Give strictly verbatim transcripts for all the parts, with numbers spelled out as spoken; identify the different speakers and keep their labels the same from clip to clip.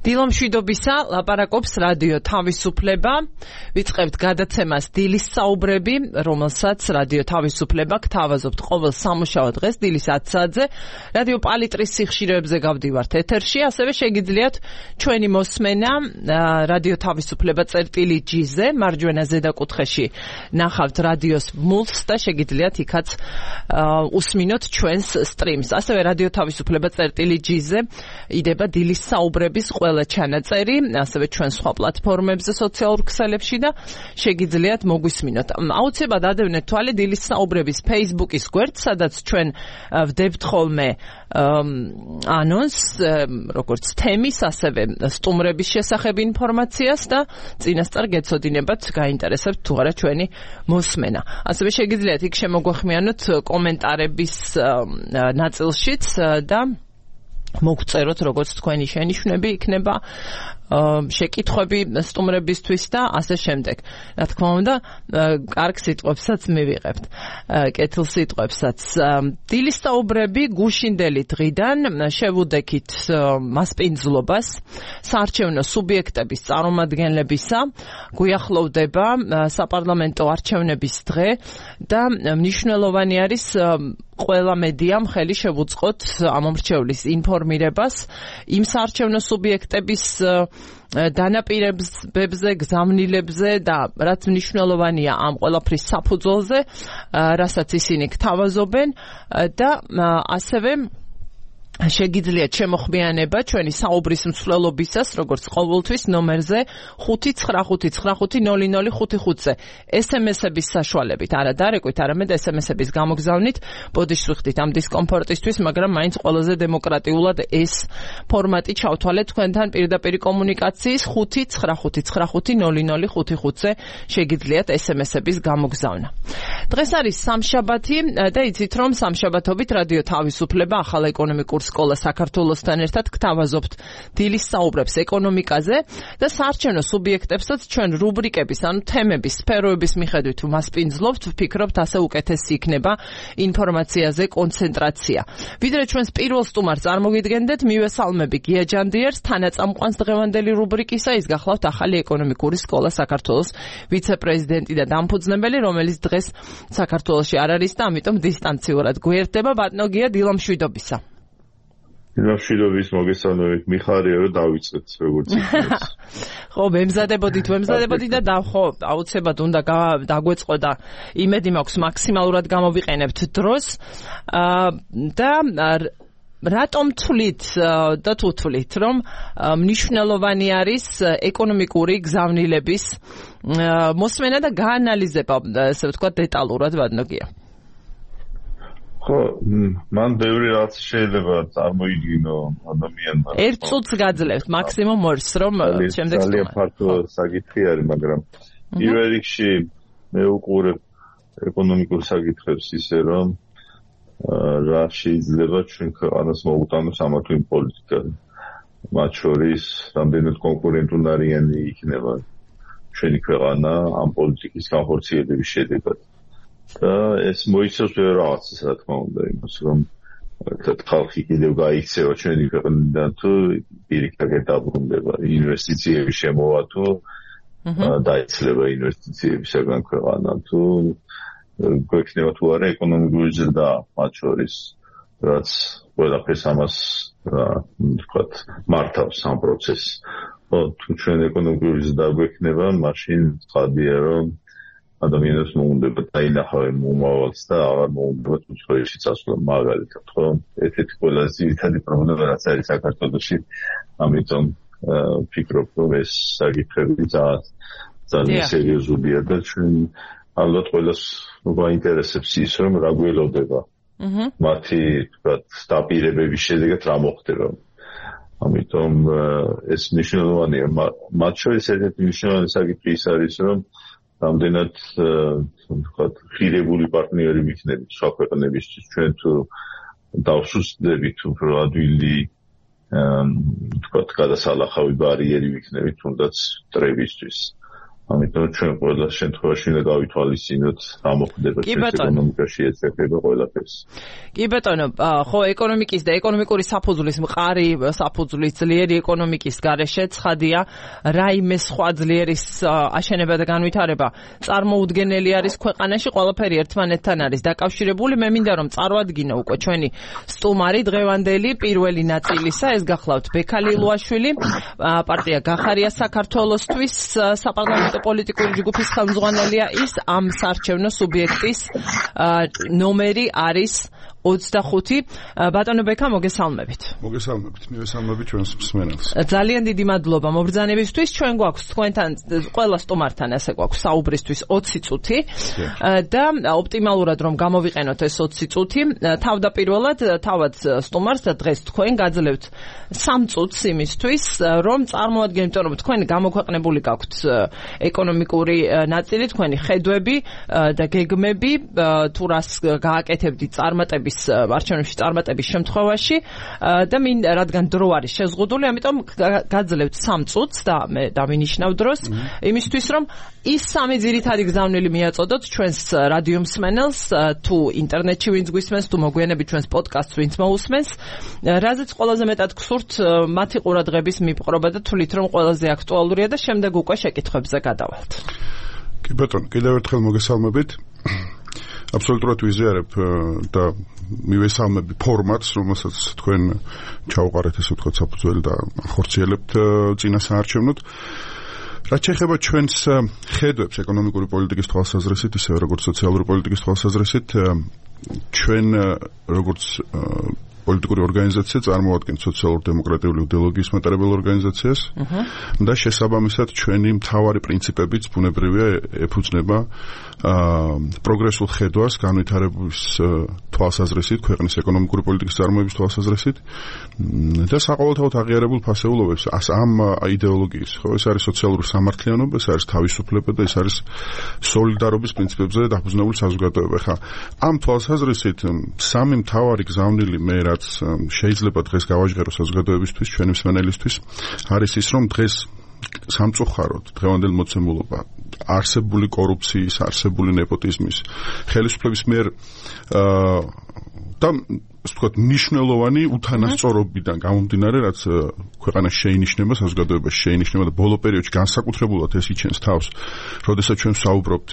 Speaker 1: დილო მშვიდობისა, ლაპარაკობს რადიო თავისუფლება. ვიწყებთ გადაცემას დილის საუბრები, რომელსაც რადიო თავისუფლება გთავაზობთ ყოველ სამუშაო დღეს დილის ათი საათზე. რადიო პალიტრის სიხშირეებზე გავდივართ ეთერში, ასევე შეგიძლიათ ჩვენი მოსმენა რადიო თავისუფლება წერტილი ჯი-ზე, მარჯვენა ზედაკუთხეში ნახავთ რადიოს მულს და შეგიძლიათ იქაც უსმინოთ ჩვენს სტრიმს. ასევე რადიო თავისუფლება წერტილი ჯი-ზე იდება დილის საუბრების ყველა ჩანაწერი, ასევე ჩვენ სხვა პლატფორმებზე, სოციალურ ქსელებში და შეგიძლიათ მოგვისმინოთ. აუცილებლად ადევნეთ თვალე დილის საუბრების Facebook-ის გვერდს, სადაც ჩვენ ვდებთ ხოლმე ანონს, როგორც თემის, ასევე სტუმრების შესახებ ინფორმაციას და წინასწარ გეცოდინებათ, გაინტერესებთ თუ არა ჩვენი მოსმენა. ასევე შეგიძლიათ იქ შემოგვეხმიანოთ კომენტარების ნაწილშიც და მოგწეროთ, როგორც თქვენი შენიშვნები იქნება, შეკითხვები სტუმრებისთვის და ასე შემდეგ. რა თქმა უნდა, კარგ სიტყვებსაც მივიღებთ, კეთილ სიტყვებსაც. დილის საუბრები გუშინდელი დღიდან შევუდექით მასპინძლობას, საარჩევნო სუბიექტების წარმომადგენლებისა, გვიახლოვდება საპარლამენტო არჩევნების დღე და მნიშვნელოვანი არის ყველა მედიამ ხელი შევუწყოთ ამომრჩევლის ინფორმირებას იმ საარჩევნო სუბიექტების დანაპირებებზე, გზავნილებზე და რაც მნიშვნელოვანია ამ ყველაფრის საფუძველზე, რასაც ისინი გთავაზობენ და ასევე შეგიძლიათ შემოხმიანება ჩვენი საუბრის მსვლელობისას, როგორც ყოველთვის ნომერზე ხუთი ცხრა ხუთი ცხრა ხუთი ნული ნული ხუთი ხუთზე ეს ემ ესების საშუალებით, არა დარეკვით, არამედ ეს ემ ესების გამოგზავნით. ბოდიშს ვიხდით ამ დისკომფორტისთვის, მაგრამ მაინც ყველაზე დემოკრატიულად ეს ფორმატი ჩავთვალეთ თქვენთან პირდაპირ კომუნიკაციის ხუთი ცხრა ხუთი ცხრა ხუთი ნული ნული ხუთი ხუთზე შეგიძლიათ ეს ემ ესების გამოგზავნა. დღეს არის სამშაბათი და იცით რომ სამშაბათობით რადიო თავისუფლება ახალ ეკონომიკურ სკოლა საქართველოსთან ერთად გთავაზობთ დილის საუბრებს ეკონომიკაზე და საარჩევნო სუბიექტებსაც ჩვენ რუბრიკების, ანუ თემების, სფეროების მიხედვით ვმასპინძლობთ, ვფიქრობთ ასე უკეთესი იქნება ინფორმაციაზე კონცენტრაცია. ვიდრე ჩვენს პირველ სტუმარს წარმოგიდგენდეთ, მივესალმები გია ჯანდიერს, თანაწამყვანს დღევანდელი რუბრიკისა, ის გახლავთ ახალი ეკონომიკური სკოლა საქართველოს ვიცე-პრეზიდენტი და დამფუძნებელი, რომელიც დღეს საქართველოში არ არის და ამიტომ დისტანციურად გვერდება. ბატონო გია, დილო მშვიდობისა.
Speaker 2: მშვიდობის მოგესალმებით, მიხარია რომ დავიწყეთ როგორც იქნება.
Speaker 1: ხო, მემზადებოდით, მემზადებოდით და და ხო, აუცილებლად უნდა დაგვეწყო და იმედი მაქვს მაქსიმალურად გამოვიყენებთ დროს. და რატომ თვლით და თუ თვლით, რომ მნიშვნელოვანი არის ეკონომიკური გზავნილების მოსმენა და გაანალიზება, ესე ვთქვათ, დეტალურად, ბატონო გია?
Speaker 2: ხო, მან ბევრი რაც შეიძლება წარმოიდგინო ადამიანმა.
Speaker 1: ერთ წუთს გაძლევთ, მაქსიმუმ ორს, რომ შემდეგ სტუმარი.
Speaker 2: ძალიან ფართო საკითხი არის, მაგრამ პირველ რიგში მე უყურებ ეკონომიკურ საკითხებს ისე, რომ რა შეიძლება ჩვენ ქვეყანას მოუტანოს ამა თუ იმ პოლიტიკა. მათ შორის რამდენად კონკურენტუნარიანი იქნება ჩვენი ქვეყანა ამ პოლიტიკის განხორციელების შედეგად. და ეს მოიცავს ბევრ რაღაცას, რა თქმა უნდა, იმას, რომ ხალხი კიდევ გაიქცევა ჩვენი ქვეყნიდან თუ პირიქით დაბრუნდება, ინვესტიციების შემოვა თუ დაიცლება ინვესტიციებისაგან ქვეყანა თუ გვექნება თუ არა ეკონომიკური ზრდა, მათ შორის, რაც ყველაფერს ამას ვთქვათ მართავს ამ პროცესს. თუ ჩვენ ეკონომიკური ზრდა გვექნება, მაშინ ცხადია, რომ ადამიანებს მოუნდება დაინახავენ მომავალს და აღარ მოუნდება უცხოეთში წასვლა, მაგალითად, ხო? ერთ-ერთი ყველაზე ძირითადი პრობლემა რაც არის საქართველოში, ამიტომ ვფიქრობ, რომ ეს საკითხები ძალიან სერიოზულია და ჩვენ ალბათ ყველას გვაინტერესებს ის, რომ რა გველოდება მათი, ვთქვათ, დაპირებების შედეგად რა მოხდება. ამიტომ ეს მნიშვნელოვანია. მათ შორის ერთ-ერთი მნიშვნელოვანი საკითხი ის არის, რომ რამდენად ვთქვათ, ღირებული პარტნიორი ვიქნებით სხვა ქვეყნებისთვის, ჩვენ თუ დავსუსტდებით უფრო ადვილი ვთქვათ, გადასალახავი ბარიერი ვიქნებით თუნდაც მტრებისთვის. ამიტომ ჩვენ ყველა შემთხვევაში უნდა გავითვალისწინოთ რა მოხდება ჩვენს ეკონომიკაში ეცეფება ყველაფერს.
Speaker 1: კი ბატონო, ხო ეკონომიკის და ეკონომიკური საფუძვლის მყარი საფუძვლის ძლიერი ეკონომიკის გარეშე ცხადია რაიმე სხვა ძლიერის აშენება და განვითარება წარმოუდგენელი არის ქვეყანაში, ყველაფერი ერთმანეთთან არის დაკავშირებული. მე მინდა რომ წარვადგინო უკვე ჩვენი სტუმარი დღევანდელი პირველი ნაწილისა, ეს გახლავთ ბექა ლილუაშვილი, პარტია გახარია საქართველოსთვის საპარლამენტო პოლიტიკური ჯგუფის ხელმძღვანელია, ის ამ საარჩევნო სუბიექტის ნომერი არის ოცდახუთი. ბატონო ბექა, მოგესალმებით.
Speaker 3: მოგესალმებით, მივესალმებით ჩვენს მსმენელს.
Speaker 1: ძალიან დიდი მადლობა მობრძანებისთვის. ჩვენ გვაქვს თქვენთან ყველა სტუმართან ასე გვაქვს საუბრისთვის ოცი წუთი და ოპტიმალურად რომ გამოვიყენოთ ეს ოცი წუთი, თავდაპირველად თავად სტუმარს და დღეს თქვენ გაძლევთ სამ წუთს იმისთვის, რომ წარმოადგინოთ, იმიტომ რომ თქვენ გამოქვეყნებული გაქვთ ეკონომიკური ნაწილი, თქვენი ხედვები და გეგმები, თუ რას გააკეთებდით წარმატების არჩევნებში წარმატების შემთხვევაში და მინ რადგან დრო არის შეზღუდული, ამიტომ გაძლევთ სამ წუთს და მე დავინიშნავ დროს იმისთვის, რომ ის სამი ძირითადი გზავნილი მიაწოდოთ ჩვენს რადიო მსმენელს, თუ ინტერნეტში ვინც გვისმენს, თუ მოგვიანებით ჩვენს პოდკასტს ვინც მოусმენს, რაზეც ყველაზე მეტად გსურთ მათი ყურადღების მიპყრობა და თვლით რომ ყველაზე აქტუალურია და შემდეგ უკვე შეკითხვებზე გადავალთ.
Speaker 3: კი ბატონო, კიდევ ერთხელ მოგესალმებით. აბსოლუტურად ვიზიარებ და მივესალმები ფორმატს, რომელსაც თქვენ ჩაუყარეთ, ესე ვთქვათ, საფუძველი და ახორციელებთ წინა საარჩევნოდ. რაც შეეხება ჩვენს ხედვებს ეკონომიკური პოლიტიკის თვალსაზრისით, ისევე როგორც სოციალური პოლიტიკის თვალსაზრისით, ჩვენ როგორც პოლიტიკური ორგანიზაცია წარმოადგენთ სოციალურ-დემოკრატიული იდეოლოგიის მატარებელ ორგანიზაციას და შესაბამისად ჩვენი მთავარი პრინციპებიც ბუნებრივია ეფუძნება პროგრესულ ხედვას განვითარების თვალსაზრისით, ქვეყნის ეკონომიკური პოლიტიკის წარმოების თვალსაზრისით და საყოველთაოდ აღიარებულ ფასეულობებს ამ იდეოლოგიის. ხო, ეს არის სოციალური სამართლიანობა, ეს არის თავისუფლება და ეს არის სოლიდარობის პრინციპებზე დაფუძნებული საზოგადოება. ხა, ამ თვალსაზრისით სამი მთავარი გზავნილი მე რაც შეიძლება დღეს გავაჟღერო საზოგადოებისთვის, ჩვენი მსმენელისთვის, არის ის, რომ დღეს სამწუხაროდ დღევანდელი მოცემულობა არსებული კორუფციის, არსებული ნეპოტიზმის, ხელისუფლების მიერ და ასე ვთქვათ, მნიშვნელოვანი უთანასწორობიდან გამომდინარე, რაც ქვეყანაში შეინიშნება, საზოგადოებაში შეინიშნება და ბოლო პერიოდში განსაკუთრებულად ეს იჩენს თავს, როდესაც ჩვენ ვსაუბრობთ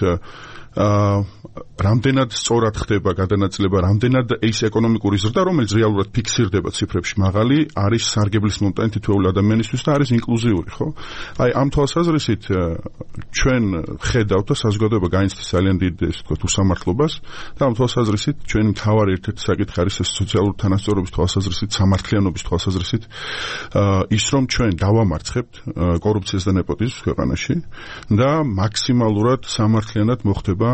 Speaker 3: რამდენად სწორად ხდება გადანაწილება, რამდენად ის ეკონომიკური ზრდა, რომელიც რეალურად ფიქსირდება ციფრებში, მაღალი არის სარგებლის მომტანი თითოეული ადამიანისთვის და არის ინკლუზიური, ხო? აი, ამ თვალსაზრისით ჩვენ ხედავთ და საზოგადოება განიცდის ძალიან დიდ, ასე ვთქვათ, უსამართლობას და ამ თვალსაზრისით ჩვენი მთავარი ერთ-ერთი საკითხი არის ეს სოციალური თანასწორობის თვალსაზრისით, სამართლიანობის თვალსაზრისით ის, რომ ჩვენ დავამარცხებთ კორუფციას და ნეპოტიზმს ქვეყანაში და მაქსიმალურად სამართლიანად მოხდება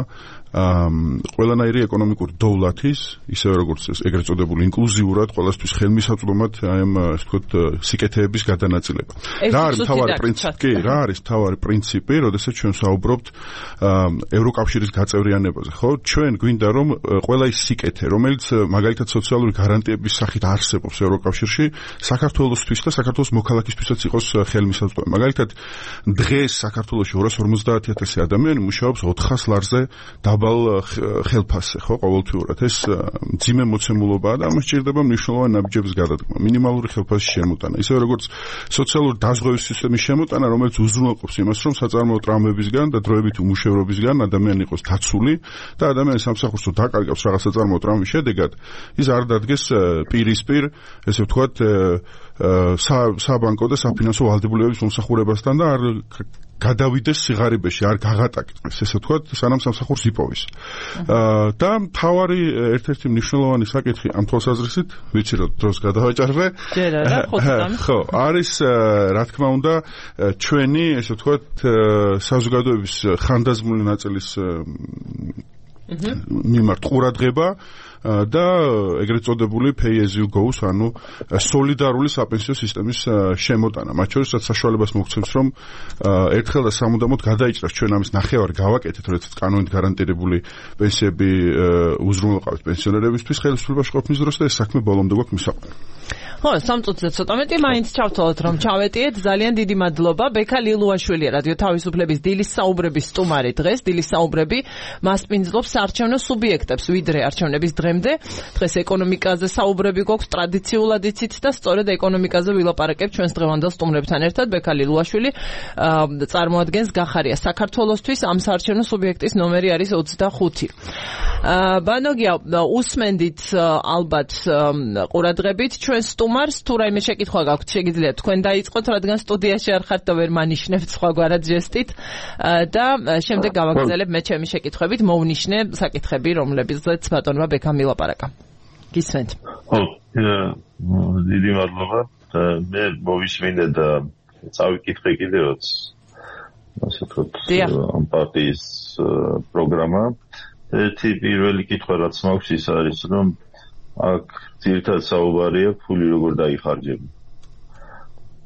Speaker 3: ყველანაირი ეკონომიკური დოვლათის, ისევე როგორც ეგრეთ წოდებული ინკლუზიურად ყველასთვის ხელმისაწვდომად აი ამ ასე ვთქვათ სიკეთეების გადანაწილება. რა არის მთავარი პრინციპი? რა არის მთავარი პრინციპი, როდესაც ჩვენ ვსაუბრობთ ევროკავშირის გაწევრიანებაზე, ხო? ჩვენ გვინდა რომ ყველა ის სიკეთე, რომელიც მაგალითად სოციალური გარანტიების სახით არსებობს ევროკავშირში, საქართველოსთვის და საქართველოს მოქალაქისთვისაც იყოს ხელმისაწვდომი. მაგალითად, დღეს საქართველოში ორას ორმოცდაათი ათასი ადამიანი მუშაობს ოთხას ლარზე დაბალ ხელფასზე, ხო, ყოველთვიურად. ეს მძიმე მოცემულობაა და ამას სჭირდება მნიშვნელოვანი ნაბიჯების გადადგმა, მინიმალური ხელფასის შემოტანა, ისევე როგორც სოციალური დაზღვევის სისტემის შემოტანა, რომელიც უზრუნველყოფს იმას, რომ საწარმოო ტრამვებისგან და დროებითი უმუშევრობისგან ადამიანი იყოს დაცული და ადამიანი სამსახურს თუ დაკარგავს რაღაც საწარმოო ტრამვის შედეგად, ის არ დადგეს პირისპირ, ესე ვთქვათ, საბანკო და საფინანსო ვალდებულებების მომსახურებასთან და არ გადავიდეს სიღარიბეში, არ გაღატაკდეს, ესე ვთქვათ, სანამ სამსახურს იპოვის. და მთავარი ერთ-ერთი მნიშვნელოვანი საკითხი ამ თვალსაზრისით, ვიცი რომ დროს გადავაჭარბე. ხო, არის რა თქმა უნდა ჩვენი, ესე ვთქვათ, საზოგადოების ხანდაზმული ნაწილის მიმართ ყურადღება და ეგრეთ წოდებული pay as you go, ანუ სოლიდარული საპენსიო სისტემის შემოტანა. მათ შორის რაც საშუალებას მოგცემს, რომ ერთხელ და სამუდამოდ გადაიჭრას ჩვენ ამის ნახევარი გავაკეთეთ, როდესაც კანონით გარანტირებული პენსიები უზრუნველყავთ პენსიონერებისთვის ხელისუფლებაში ყოფნის დროს და ეს საქმე ბოლომდე გვაქვს მისაყვანო.
Speaker 1: ხო, სამ წუთზე ცოტა მეტი მაინც ჩავთვალოთ რომ ჩავეტიეთ. ძალიან დიდი მადლობა. ბექა ლილუაშვილი რადიო თავისუფლების დილის საუბრების სტუმარი დღეს. დილის საუბრები მასპინძლობს საარჩევნო სუბიექტებს ვიდრე არჩევნების დღემდე. დღეს ეკონომიკაზე საუბრები გვაქვს ტრადიციულად იცით და სწორედ ეკონომიკაზე ვილაპარაკებთ ჩვენს დღევანდელ სტუმრებთან ერთად. ბექა ლილუაშვილი წარმოადგენს გახარია საქართველოსთვის. ამ საარჩევნო სუბიექტის ნომერი არის ოცდახუთი. ბანოგია, უსმენდით ალბათ ყურადღებით ჩვენ სტუმარს, თუ რაიმე შეკითხვა გაქვთ, შეგიძლიათ თქვენ დაიწყოთ, რადგან სტუდიაში არ ხართ და ვერ მანიშნებთ სხვაგვარად ჟესტით და შემდეგ გავაგრძელებ მე ჩემი შეკითხვებით, მოვნიშნე საკითხები, რომლებზეც ბატონმა ბექამ ვილაპარაკა. გისმენთ.
Speaker 2: ხო, დიდი მადლობა. მე მოვისმინე და წავიკითხე კიდევაც ასე ვთქვათ, ამ პარტიის პროგრამა. ერთი პირველი კითხვა რაც მაქვს ის არის, რომ აქ ძირითადად საუბარია ფული როგორ დაიხარჯება.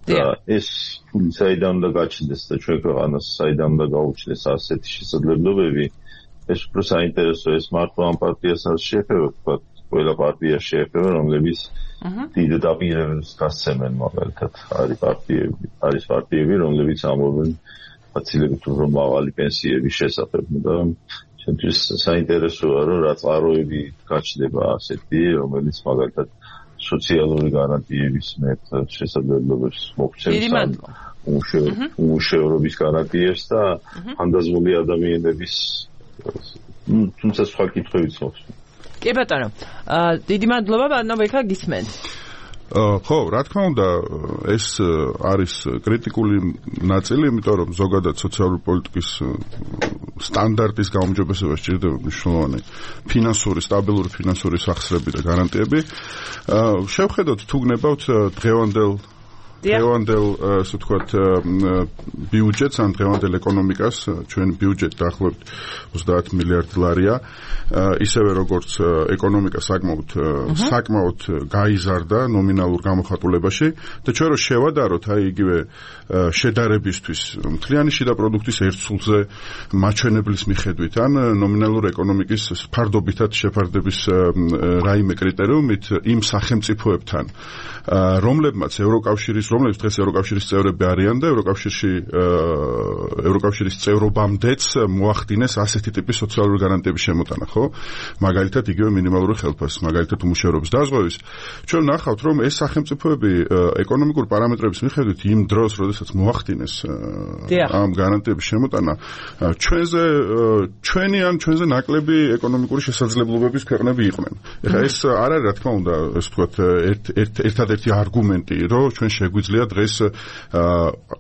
Speaker 2: და ეს ფული საიდან უნდა გაჩნდეს და ჩვენ ქვეყანას საიდან უნდა გაუჩნდეს ასეთი შესაძლებლობები, ეს უფრო საინტერესო, ეს მართლა ამ პარტიას არ შეეხება, თქვა ყველა პარტია შეეხება, რომლებიც დიდ დაპირებებს გასცემენ მაგალითად. არის პარტიები, არის პარტიები, რომლებიც ამბობენ ფაცილებით უფრო მაღალი პენსიების შესახებ და ჩემთვის საინტერესოა, რომ რა წყაროები გაჩნდება ასეთი, რომელიც მაგალითად სოციალური გარანტიების მეტ შესაძლებლობებს მოგცემს, უმუშევრობის გარანტიებს და ხანდაზმული ადამიანების თუმცა სხვა კითხვებიც მოხდა.
Speaker 1: კი ბატონო, დიდი მადლობა, ბატონო ბექა გისმენთ.
Speaker 3: ხო, რა თქმა უნდა, ეს არის კრიტიკული ნაწილი, იმიტომ რომ ზოგადად სოციალური პოლიტიკის სტანდარტის გაუმჯობესება სჭირდება მნიშვნელოვანი ფინანსური, სტაბილური ფინანსური სახსრები და გარანტიები. შევხედოთ თუ გნებავთ დღევანდელ დღევანდელ ასე ვთქვათ ბიუჯეტს ან დღევანდელ ეკონომიკას, ჩვენ ბიუჯეტი დაახლოებით ოცდაათ მილიარდ დოლარია, ისევე როგორც ეკონომიკა საკმაოდ საკმაოდ გაიზარდა ნომინალურ გამოხატულებაში და ჩვენ რო შევადაროთ აი იგივე შედარებისთვის მთლიანი შიდა პროდუქტის ერთ სულზე მაჩვენებლის მიხედვით ან ნომინალურ ეკონომიკის ფარდობითად შეფარდების რაიმე კრიტერიუმით იმ სახელმწიფოებთან, რომლებმაც ევროკავშირის რომლებიც დღეს ევროკავშირის წევრები არიან და ევროკავშირში ევროკავშირის წევრობამდეც მოახდინეს ასეთი ტიპის სოციალური გარანტიების შემოტანა, ხო? მაგალითად იგივე მინიმალური ხელფასი, მაგალითად უმუშევრობის დაზღვევის. ჩვენ ნახავთ, რომ ეს სახელმწიფოები ეკონომიკური პარამეტრების მიხედვით იმ დროს, როდესაც მოახდინეს ამ გარანტიების შემოტანა, ჩვენზე ჩვენი ან ჩვენზე ნაკლები ეკონომიკური შესაძლებლობების ქვეყნები იყვნენ. ეხლა ეს არ არის, რა თქმა უნდა, ეს ვთქვათ, ერთ-ერთი არგუმენტი, რომ ჩვენ შეგვიძლია დღეს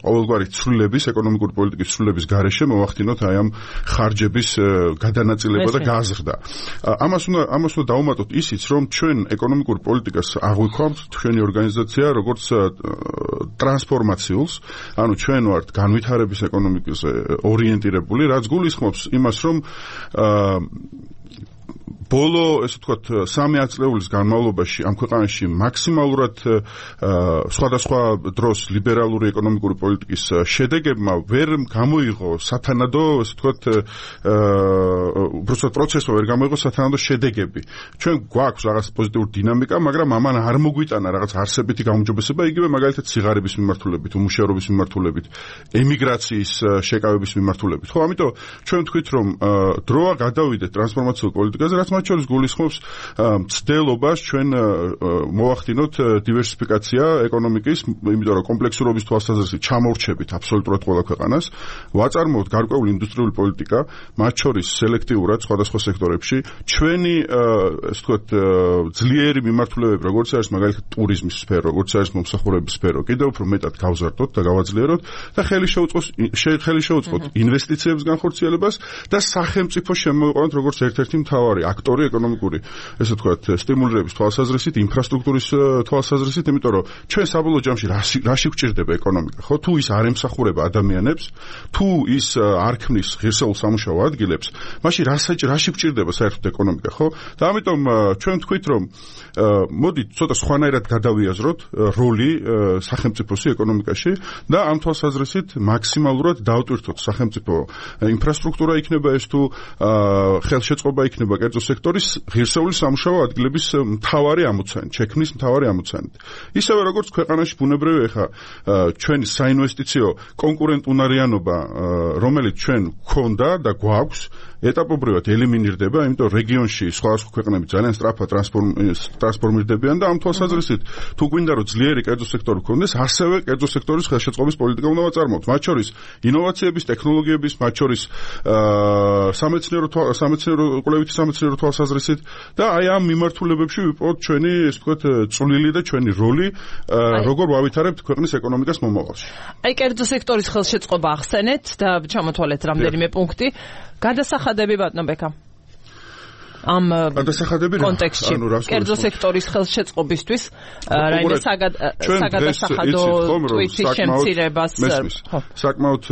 Speaker 3: ყოველგვარი ცვლილების, ეკონომიკური პოლიტიკის ცვლილების გარეშე მოვახდინოთ აი ამ ხარჯების გადანაწილება და გაზრდა. ამას უნდა ამას უნდა დავუმატოთ ისიც, რომ ჩვენ ეკონომიკურ პოლიტიკას აღვიქვამთ, ჩვენი ორგანიზაცია, როგორც ტრანსფორმაციულს, ანუ ჩვენ ვართ განვითარების ეკონომიკაზე ორიენტირებული, რაც გულისხმობს იმას, რომ ბოლო, ესე ვთქვათ, სამი ათწლეულის განმავლობაში ამ ქვეყანაში მაქსიმალურად სხვადასხვა დროს ლიბერალური ეკონომიკური პოლიტიკის შედეგებმა ვერ გამოიღო სათანადო, ესე ვთქვათ, უბრალოდ პროცესმა ვერ გამოიღო სათანადო შედეგები. ჩვენ გვაქვს რაღაც პოზიტიური დინამიკა, მაგრამ ამან არ მოგვიტანა რაღაც არსებითი გაუმჯობესება, იგივე მაგალითად სიღარიბის მიმართულებით, უმუშევრობის მიმართულებით, ემიგრაციის შეკავების მიმართულებით. ხო, ამიტომ ჩვენ ვთქვით, რომ დროა გადავიდეთ ტრანსფორმაციულ პოლიტიკაზე, რაც მათ შორის გულისხმობს მცდელობას ჩვენ მოვახდინოთ დივერსიფიკაცია ეკონომიკის, იმიტომ რომ კომპლექსურობის თვალსაზრისით ჩამორჩებით აბსოლუტურად ყველა ქვეყანას, ვაწარმოოთ გარკვეული ინდუსტრიული პოლიტიკა, მათ შორის სელექტიურად სხვადასხვა სექტორებში, ჩვენი ესე ვთქვათ ძლიერი მიმართულებები, როგორც არის მაგალითად ტურიზმის სფერო, როგორც არის მომსახურების სფერო, კიდევ უფრო მეტად გავზარდოთ და გავაძლიეროთ და ხელი შეუწყოს ხელი შეუწყოთ ინვესტიციების განხორციელებას და სახელმწიფო შემოვიყვანოთ როგორც ერთ-ერთი მთავარი აქტორი ეკონომიკური, ესე ვთქვათ, სტიმულირების თვალსაზრისით, ინფრასტრუქტურის თვალსაზრისით, იმიტომ რომ ჩვენ საბოლოო ჯამში რაში გვჭირდება ეკონომიკა, ხო? თუ ის არ ემსახურება ადამიანებს, თუ ის არ ქმნის ღირსეულ სამუშაო ადგილებს, მაშინ რაში გვჭირდება საერთოდ ეკონომიკა, ხო? და ამიტომ ჩვენ ვთქვით, რომ მოდით ცოტა სხვანაირად გადავიაზროთ როლი სახელმწიფოსი ეკონომიკაში და ამ თვალსაზრისით მაქსიმალურად დავტვირთოთ სახელმწიფო ინფრასტრუქტურა იქნება ეს თუ ხელშეწყობა იქნება კერძო სექტორში სექტორის ღირსეული სამუშაო ადგილების მთავარი ამოცანით, შექმნის მთავარი ამოცანით. ისევე როგორც ქვეყანაში ბუნებრივია ხა ჩვენი საინვესტიციო კონკურენტუნარიანობა, რომელიც ჩვენ გვქონდა და გვაქვს, ეტაპობრივად ელიმინირდება, იმიტომ რეგიონში სხვადასხვა ქვეყნები ძალიან სწრაფად ტრანსფორმირდებიან და ამ თვალსაზრისით თუ გვინდა რომ ძლიერი კერძო სექტორი გქონდეს, ასევე კერძო სექტორის ხელშეწყობის პოლიტიკა უნდა ვაწარმოოთ. მათ შორის ინოვაციების, ტექნოლოგიების, მათ შორის სამეცნიერო სამეცნიერო კვლევითი სამეცნიერო თვალსაზრისით და აი ამ მიმართულებებში ვიპოვოთ ჩვენი, ესე ვთქვათ, წვლილი და ჩვენი როლი, როგორ ვავითარებთ ქვეყნის ეკონომიკას მომავალში.
Speaker 1: აი კერძო სექტორის ხელშეწყობა ახსენეთ და ჩამოთვალეთ რამდენიმე პუნქტი. გადასახადები ბატონო ბექა ამ კონტექსტში კერძო სექტორის ხელშეწყობისთვის რაიმე საგადასახადო ტვირთის შემცირებას
Speaker 3: საკმაოდ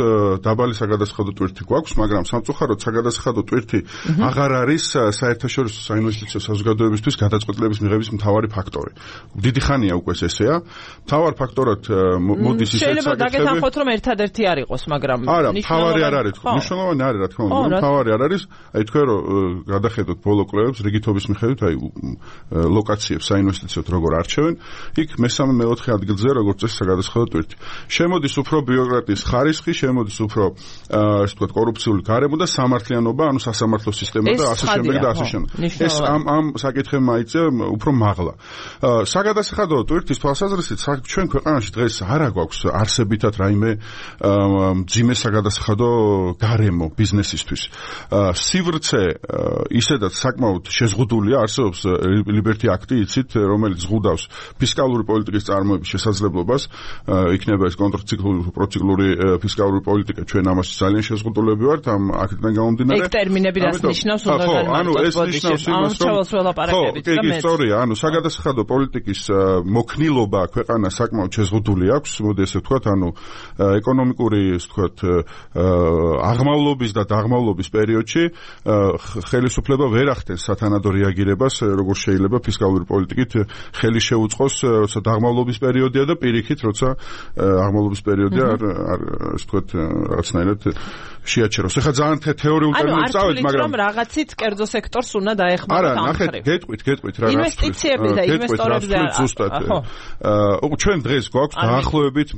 Speaker 3: დაბალი საგადასახადო ტვირთი გვაქვს, მაგრამ სამწუხაროდ საგადასახადო ტვირთი აღარ არის საერთაშორისო საინვესტიციო საზოგადოებისთვის გადაწყვეტილების მიღების მთავარი ფაქტორი. დიდი ხანია უკვე ესეა. მთავარ ფაქტორად მოდის ისეთ საკითხები.
Speaker 1: შეიძლება დაგეთანხმოთ რომ ერთადერთი არ იყოს, მაგრამ
Speaker 3: არა, მთავარი არ არის. მნიშვნელოვანი არის, რა თქმა უნდა, მთავარი არ არის. აი თქვენ რომ გადახედოთ ბოლო კლუბებს რიგითობის მიხედვით, აი ლოკაციებს საინვესტიციოდ როგორ არჩევენ, იქ მესამე მეოთხე ადგილზე როგორც წესი საგადასახადო ტვირთი. შემოდის უფრო ბიუროკრატიის ხარისხი, შემოდის უფრო ასე ვთქვათ კორუფციული გარემო და სამართლიანობა, ანუ სასამართლო სისტემა და ასე შემდეგ და ასე შემდეგ. ეს ამ ამ საკითხებმა იწევ უფრო მაღლა. საგადასახადო ტვირთის თვალსაზრისით ჩვენ ქვეყანაში დღეს არა გვაქვს არსებითად რაიმე მძიმე საგადასახადო გარემო ბიზნესისთვის. სივრცე ისედაც საკმაოდ შეზღუდულია, არსებობს ლიბერტი აქტი, იცით, რომელიც ზღუდავს ფისკალური პოლიტიკის წარმოების შესაძლებლობას, იქნება ეს კონტრციკლური, პროციკლური ფისკალური პოლიტიკა, ჩვენ ამაში ძალიან შეზღუდულები ვართ, ამ აქტიდან გამომდინარე.
Speaker 1: ეგ ტერმინები რას ნიშნავს, უნდა განმარტოთ ბოდიში.
Speaker 3: კი, კი, სწორია, ანუ საგადასახადო პოლიტიკის მოქნილობა ქვეყანას საკმაოდ შეზღუდული აქვს, მოდი ესე ვთქვათ, ანუ ეკონომიკური, ესე ვთქვათ, აღმავლობის და დაღმავლობის პერიოდში ხელისუფლება ვერ ახდენს სათანადო რეაგირებას, როგორ შეიძლება ფისკალური პოლიტიკით ხელი შეუწყოს, როცა დაღმავლობის პერიოდია და პირიქით, როცა აღმავლობის პერიოდია, ასე ვთქვათ, რაღაცნაირად შეაჩეროს. ეხლა ძალიან თეორიულ ტერმინებს წავით, მაგრამ
Speaker 1: ანუ რაღაცით კერძო სექტორს უნდა დაეხმაროთ ამ
Speaker 3: მხრივ. არა, ნახეთ, გეტყვით, გეტყვით რა რას
Speaker 1: ინვესტიციები და ინვესტორებზე
Speaker 3: ზუსტად. აა ჩვენ დღეს გვაქვს დაახლოებით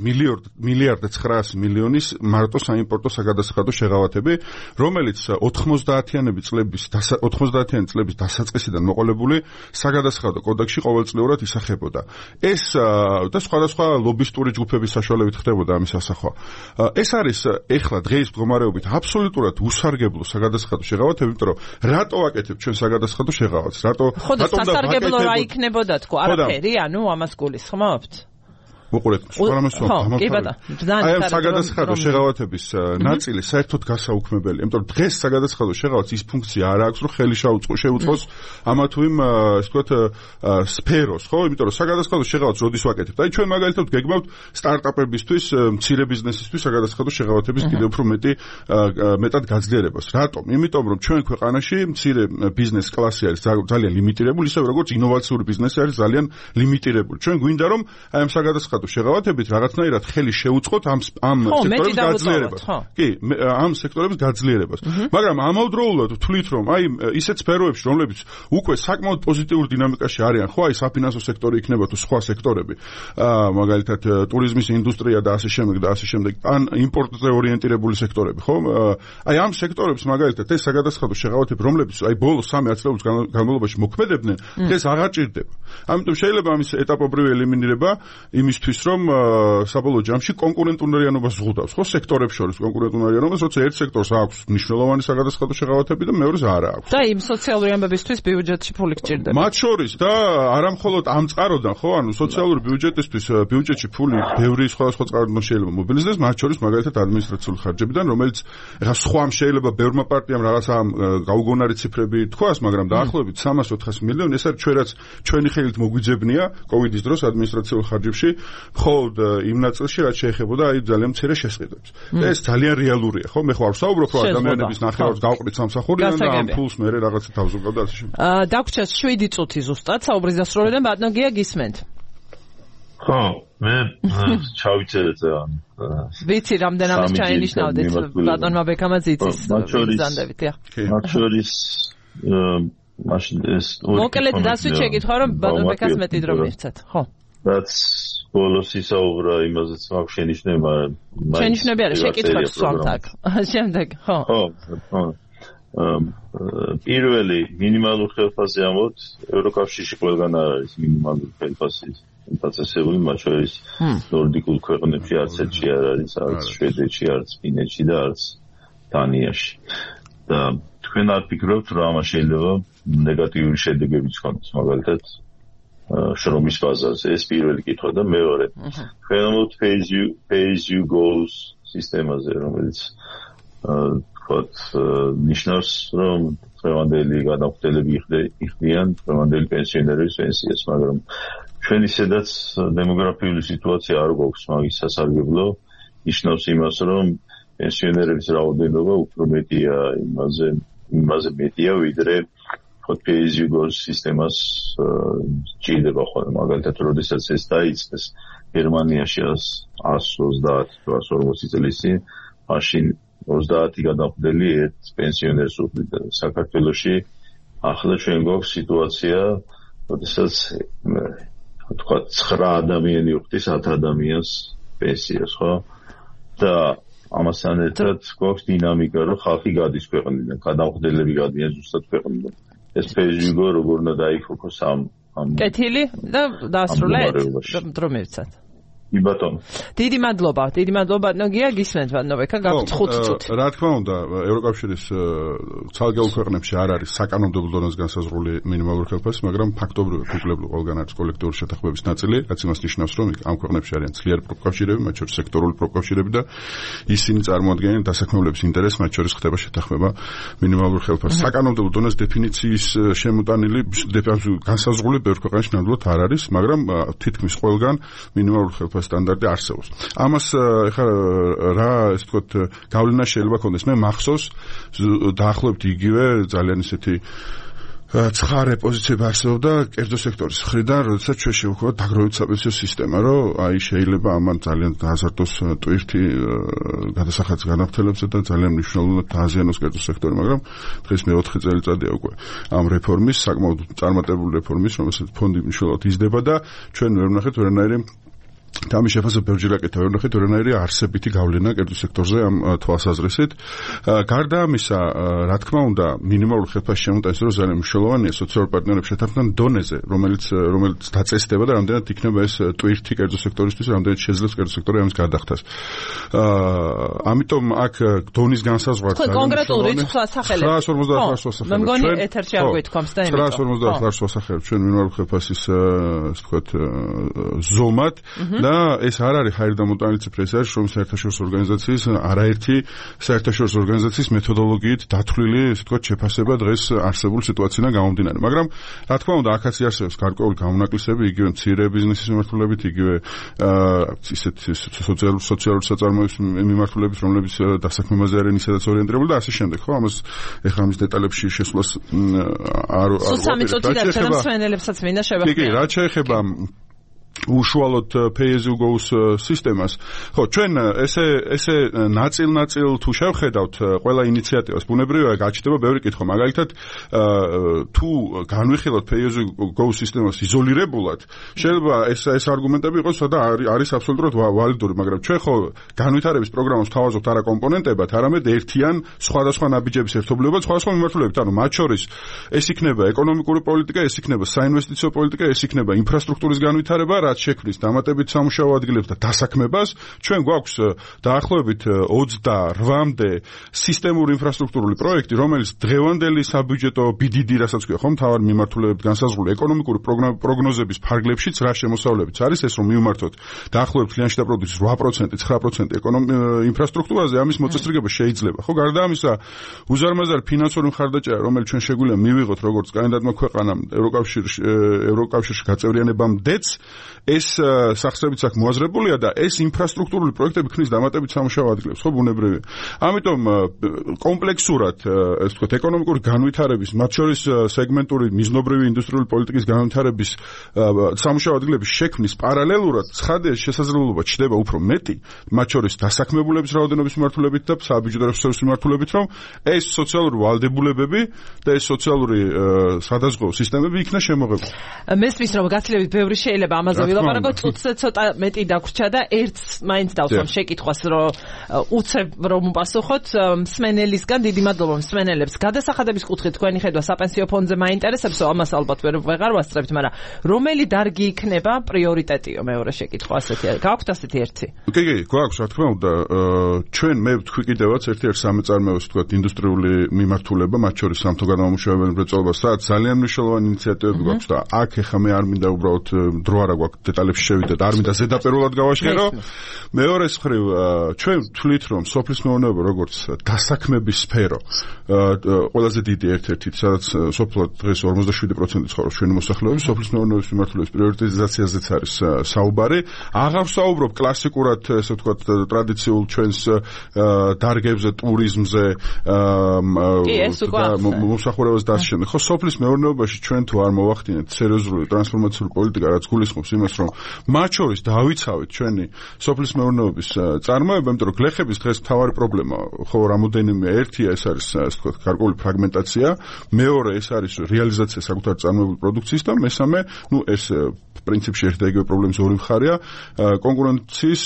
Speaker 3: მილიარდ ცხრაასი მილიონის მარტო საიმპორტო საგადასახადო შეღავათები, რომელიც ოთხმოცდაათიანები წლების ოთხმოცდაათიანი წლების დასაწყისიდან მოყოლებული საგადასახადო კოდექსში ყოველწლიურად ისახებოდა. ეს და სხვადასხვა ლობისტური ჯგუფების საშუალებით ხდებოდა ამის ასახვა. ეს არის ეხლა დღეის მდგომარეობით აბსოლუტურად უსარგებლო საგადასახადო შეღავათები, იმიტომ რომ რატო ვაკეთებ ჩვენ საგადასახადო შეღავათს? რატო
Speaker 1: რატომ სასარგებლო რა იქნებოდა თქო? არაფერი, ანუ ამას გულისხმობთ?
Speaker 3: უყურეთ, სპარამეს
Speaker 1: გამორთვალე.
Speaker 3: აი ამ საგადასახადო შეღავათების ნაწილი საერთოდ გასაუქმებელია, იმიტომ რომ დღეს საგადასახადო შეღავათს ის ფუნქცია არ აქვს, რომ ხელი შეუწყოს ამა თუ იმ, ასე ვთქვათ, სფეროს, ხო? იმიტომ რომ საგადასახადო შეღავათს როდის ვაკეთებთ? აი ჩვენ მაგალითად გეგმავთ სტარტაპებისთვის, მცირე ბიზნესისთვის საგადასახადო შეღავათების კიდევ უფრო მეტი მეტად გაძლიერებას. რატომ? იმიტომ რომ ჩვენ ქვეყანაში მცირე ბიზნეს კლასი არის ძალიან ლიმიტირებული, ისე როგორც ინოვაციური ბიზნესი არის ძალიან ლიმიტირებული. ჩვენ გვინდა რომ აი ამ საგადასახადო შეღავათებით რაღაცნაირად ხელი შეუწყოთ ამ ამ სექტორების გაძლიერებას. კი, ამ სექტორების გაძლიერებას. მაგრამ ამავდროულად ვთვლით, რომ აი ისეთ სფეროებში, რომლებიც უკვე საკმაოდ პოზიტიურ დინამიკაში არიან, ხო, აი საფინანსო სექტორი იქნება თუ სხვა სექტორები, აა მაგალითად ტურიზმის ინდუსტრია და ასე შემდეგ და ასე შემდეგ, ან იმპორტზე ორიენტირებული სექტორები, ხო? აი ამ სექტორებს მაგალითად ეს საგადასახადო შეღავათები, რომლებიც აი ბოლოს სამი ათწლეულის განმავლობაში მოქმედებდნენ, დღეს აღარ ჭირდება. ამიტომ შეიძლება ამის ეტაპობრივი ელიმინირება იმისთვის რომ საბოლოო ჯამში კონკურენტუნარიანობას ზღუდავს, ხო, სექტორებს შორის კონკურენტუნარიანობას, როცა ერთ სექტორს აქვს მნიშვნელოვანი საგადასახადო შეღავათები და მეორეს არ აქვს.
Speaker 1: და იმ სოციალური ამბებისთვის ბიუჯეტში ფული გჭირდება.
Speaker 3: მათ შორის და არა მხოლოდ ამ წყაროდან, ხო, ანუ სოციალური ბიუჯეტისთვის ბიუჯეტში ფული ბევრი სხვადასხვა წყაროდან შეიძლება მობილიზდეს, მათ შორის მაგალითად ადმინისტრაციული ხარჯებიდან, რომელიც ეხლა სხვამ შეიძლება ბევრმა პარტიამ რაღაცა გაუგონარი ციფრები თქვას, მაგრამ დაახლოებით სამას ოთხასი მილიონი ეს არის ჩვენ რაც ჩვენი ხელით მოგვიძებნია კოვიდის დროს ადმინისტრაციულ ხარჯებში. მხოლოდ იმ ნაწილში რაც შეეხებოდა აი ძალიან მცირე შესყიდვებს. და ეს ძალიან რეალურია, ხო? მე ხო არ ვსაუბრობ, რომ ადამიანების ნახევარს გავყრით სამსახურიდან და ამ ფულს მე რაღაცა თავზოგავ და ასე შემდეგ.
Speaker 1: აა დაგვრჩა შვიდი წუთი ზუსტად საუბრის დასრულებიდან ბატონო გია გისმენთ.
Speaker 2: ხო, მე ჩავიწერეთ ამ
Speaker 1: ვიცი რამდენადაც ჩაინიშნავდით ბატონმა ბექამაც იცის
Speaker 2: ბრძანდებით, ხო. მათ შორის მაშინ ეს
Speaker 1: მოკლედ დასვით შეკითხვა რომ ბატონბექას მეტი დრო მივცეთ ხო
Speaker 2: რაც ბოლოს ისაუბრა იმაზეც მაქვს შენიშვნება
Speaker 1: შენიშვნები არის შეკითხვებს სვამთ აქ შემდეგ ხო
Speaker 2: ხო პირველი მინიმალურ ხელფასზე ამოთ ევროკავშირში ყველგან არ არის მინიმალური ხელფასი დაწესებული მათ შორის ნორდიკულ ქვეყნებში არც ერთში არ არის არც შვედეთში არც ფინეთში და არც დანიაში და თქვენ არ ფიქრობთ რომ ამას შეიძლება ნეგატიური შედეგებიც ჰქონდეს მაგალითად შრომის ბაზარზე ეს პირველი კითხვა და მეორე თქვენ ამოთ pay as you pay as you goes სისტემაზე რომელიც ვთქვათ ნიშნავს რომ დღევანდელი გადამხდელები იხდიან დღევანდელი პენსიონერების პენსიას მაგრამ ჩვენ ისედაც დემოგრაფიული სიტუაცია არ გვაქვს მაგის სასარგებლო ნიშნავს იმას რომ პენსიონერების რაოდენობა უფრო მეტია იმაზე იმაზე მეტია ვიდრე pay as you go სისტემას ჭირდება ხოლმე მაგალითად როდესაც ეს დაიწყეს გერმანიაში ას ოცდაათი თუ ას ორმოცი წლის წინ მაშინ ოცდაათი გადამხდელი ერთ პენსიონერს უხდიდა საქართველოში ახლა ჩვენ გვაქვს სიტუაცია როდესაც თქვა ცხრა ადამიანი უხდის ათ ადამიანს პენსიას ხო და ამასთან ერთად გვაქვს დინამიკა რომ ხალხი გადის ქვეყნიდან გადამხდელები გადიან ზუსტად ქვეყნიდან ეს პეიჟიგო როგორ უნდა დაიფოკოს ამ ამ
Speaker 1: კეთილი და დაასრულეთ დრო მივცათ
Speaker 2: კი ბატონო
Speaker 1: დიდი მადლობა დიდი მადლობა ნოგია გისმენთ ბატონბექა გაქვთ ხუთი წუთი
Speaker 3: რა თქმა უნდა ევროკავშირის ცალკეულ ქვეყნებში არ არის საკანონმდებლო დონეზე განსაზღვრული მინიმალური ხელფასი მაგრამ ფაქტობრივად უკლებლო ყველგან არის კოლექტიური შეთანხმების ნაწილი რაც იმას ნიშნავს რომ ამ ქვეყნებში არიან ძლიერი პროფკავშირები მათ შორის სექტორული პროფკავშირები და ისინი წარმოადგენენ დასაქმებულების ინტერესს მათ შორის ხდება შეთანხმება მინიმალურ ხელფასზე საკანონმდებლო დონეზე დეფინიციის შემოტანილი განსაზღვრული ბევრ ქვეყანაში ნამდვილად არ არის მაგრამ თითქმის ყველგან მინიმალური ხელფასი სტანდარტი არსებობს. ამას ეხლა რა ესე ვთქვათ გავლენა შეიძლება ქონდეს. მე მახსოვს დაახლოებით იგივე ძალიან ისეთი ცხარე პოზიციები არსებობდა კერძო სექტორის მხრიდან, როდესაც ჩვენ შევხვდით დაგროვებით საპენსიო სისტემა, რომ აი შეიძლება ამან ძალიან დააზარდოს ტვირთი გადასახადს განავრცელებსა და ძალიან მნიშვნელოვნად დააზიანოს კერძო სექტორი, მაგრამ დღეს მეოთხე წელიწადია უკვე ამ რეფორმის, საკმაოდ წარმატებული რეფორმის, რომელსაც ფონდი მნიშვნელოვნად იზრდება და ჩვენ ვერ ვნახეთ ვერანაირი ამის შეფასება ბევრჯერ აკეთა ვერ ვნახეთ ვერანაირი არსებითი გავლენა კერძო სექტორზე ამ თვალსაზრისით. გარდა ამისა, რა თქმა უნდა, მინიმალური ხელფასის შემოტანის დროს ძალიან მნიშვნელოვანია სოციალური პარტნიორების შეთანხმების დონეზე, რომელიც რომელიც დაწესდება და რამდენად იქნება ეს ტვირთი კერძო სექტორისთვის, რამდენად შეძლებს კერძო სექტორი ამის გადახდას. ამიტომ აქ დონის განსაზღვრა
Speaker 1: კონკრეტულ რიცხვს ასახელებ.
Speaker 3: ცხრაას ორმოცდაათ ასახელებ.
Speaker 1: მე მგონი ეთერში არ გვითქვამს და იმიტომ.
Speaker 3: ცხრაას ორმოცდაათ ასახელებ ჩვენ მინიმალური ხელფასის ასე ვთქვათ ზომად და ეს არ არის ჰაერ დამოტანილი ციფრი, ეს არის შრომის საერთაშორისო ორგანიზაციის არაერთი საერთაშორისო ორგანიზაციის მეთოდოლოგიით დათვლილი, ესე ვთქვათ, შეფასება დღეს არსებული სიტუაციიდან გამომდინარე. მაგრამ რა თქმა უნდა, აქაც არსებობს გარკვეული გამონაკლისები, იგივე მცირე ბიზნესის მიმართულებით, იგივე ისეთ სოციალურ სოციალურ საწარმოების მიმართულებით, რომლებიც დასაქმებაზე არიან ისედაც ორიენტირებული და ასე შემდეგ, ხო? ამას ეხლა ამის დეტალებში შესვლას არ არ
Speaker 1: სულ სამი წუთი დარჩა და მსვენელებსაც მინდა შევახმიო.
Speaker 3: კი, კი, რა შეეხება უშუალოდ pay as you go სისტემას. ხო, ჩვენ ესე ესე ნაწილ-ნაწილ თუ შევხედავთ ყველა ინიციატივას, ბუნებრივია გაჩნდება ბევრი კითხვა. მაგალითად, თუ განვიხილოთ pay as you go სისტემას იზოლირებულად, შეიძლება ეს ეს არგუმენტები იყოს და არის აბსოლუტურად ვალიდური, მაგრამ ჩვენ ხო განვითარების პროგრამას თავაზობთ არა კომპონენტებად, არამედ ერთიან სხვადასხვა ნაბიჯების ერთობლიობად, სხვადასხვა მიმართულებით. ანუ მათ შორის ეს იქნება ეკონომიკური პოლიტიკა, ეს იქნება საინვესტიციო პოლიტიკა, ეს იქნება ინფრასტრუქტურის განვითარება, რაც შექმნის დამატებით სამუშაო ადგილებს და დასაქმებას. ჩვენ გვაქვს დაახლოებით ოცდაოთხამდე სისტემური ინფრასტრუქტურული პროექტი, რომელიც დღევანდელი საბიუჯეტო ბი დი დი, რასაც ქვია, ხომ, მთავარ მიმართულებებით განსაზღვრული ეკონომიკური პროგნოზების ფარგლებშიც რა შემოსავლებიც არის ეს, რომ მივმართოთ დაახლოებით კლიენტ შიდა პროდუქტის ორი პროცენტი, ცხრა პროცენტი ინფრასტრუქტურაზე, ამის მოწესრიგება შეიძლება. ხო, გარდა ამისა, უზარმაზარი ფინანსური მხარდაჭერა, რომელიც ჩვენ შეგვიძლია მივიღოთ როგორც კანდიდატმა ქვეყანამ ევროკავშირში ევროკავშირში გაწევრიანებამდეც ეს სახსრებიც აქ მოაზრებულია და ეს ინფრასტრუქტურული პროექტები ქმნის დამატებით სამუშაო ადგილებს, ხო, ბუნებრივია. ამიტომ კომპლექსურად, ესე ვთქვათ, ეკონომიკური განვითარების, მათ შორის სეგმენტური მიზნობრივი ინდუსტრიული პოლიტიკის განვითარების სამუშაო ადგილების შექმნის პარალელურად ცხადია შესაძლებლობა ჩდება უფრო მეტი, მათ შორის დასაქმებულების რაოდენობის მიმართულებით და საბიუჯეტო რესურსების მიმართულებით, რომ ეს სოციალური ვალდებულებები და ეს სოციალური სადაზღვევო სისტემები იქნა შემოღებული.
Speaker 1: მესმის რომ გაცილებით ბევრი შეიძლება ამაზე ვილაპარაკოთ, წუთზე ცოტა მეტი დაგვრჩა და ერთს მაინც დავსვამ შეკითხვას, რომ უცებ რომ უპასუხოთ მსმენელისგან. დიდი მადლობა მსმენელებს. გადასახადების კუთხით თქვენი ხედვა საპენსიო ფონდზე მაინტერესებს, ამას ალბათ ვერ ვეღარ ვასწრებთ, მაგრამ რომელი დარგი იქნება პრიორიტეტიო? მეორე შეკითხვა ასეთი. გაქვთ ასეთი ერთი?
Speaker 3: კი, კი, გვაქვს, რა თქმა უნდა, ჩვენ მე ვთქვი კიდევაც ერთ-ერთ სამეწარმეოს, თქვათ, ინდუსტრიული მიმართულება, მათ შორის სამთო განმამუშავებელი მრეწველობა, სადაც ძალიან მნიშვნელოვანი ინიციატივები გვაქვს და აქ ეხა მე არ მინდა უბრალოდ დრო არა გვაქვს დეტალებში შევიდეთ, არ მინდა ზედაპირულად გავაშერო. მეორეს მხრივ, ჩვენ ვთვლით, რომ სოფლის მეურნეობა როგორც დასაქმების სფერო, ყველაზე დიდი ერთ-ერთი, სადაც სოფლად დღეს ორმოცდაშვიდი პროცენტი ცხოვრობს ჩვენი მოსახლეობის, სოფლის მეურნეობის მიმართულების პრიორიტიზაციაზეც არის საუბარი. აღარ ვსაუბრობ კლასიკურად, ესე ვთქვათ, ტრადიციულ ჩვენს დარგებზე, ტურიზმზე, მომსახურებას დასშენ. ხო, სოფლის მეურნეობაში ჩვენ თუ არ მოვახდინეთ სერიოზული ტრანსფორმაციული პოლიტიკა, რაც გულისხმობს იმას, რომ მათ შორის დავიცავით ჩვენი სოფლის მეურნეობის წარმოება, იმიტომ რომ გლეხების დღეს მთავარი პრობლემა, ხო, რამოდენიმე ერთია, ეს არის, ასე ვთქვათ, გარკვეული ფრაგმენტაცია, მეორე ეს არის რეალიზაცია საკუთარი წარმოებული პროდუქციის და მესამე, ну, ეს პრინციპში ერთ და იგივე პრობლემის ორი მხარეა, კონკურენციის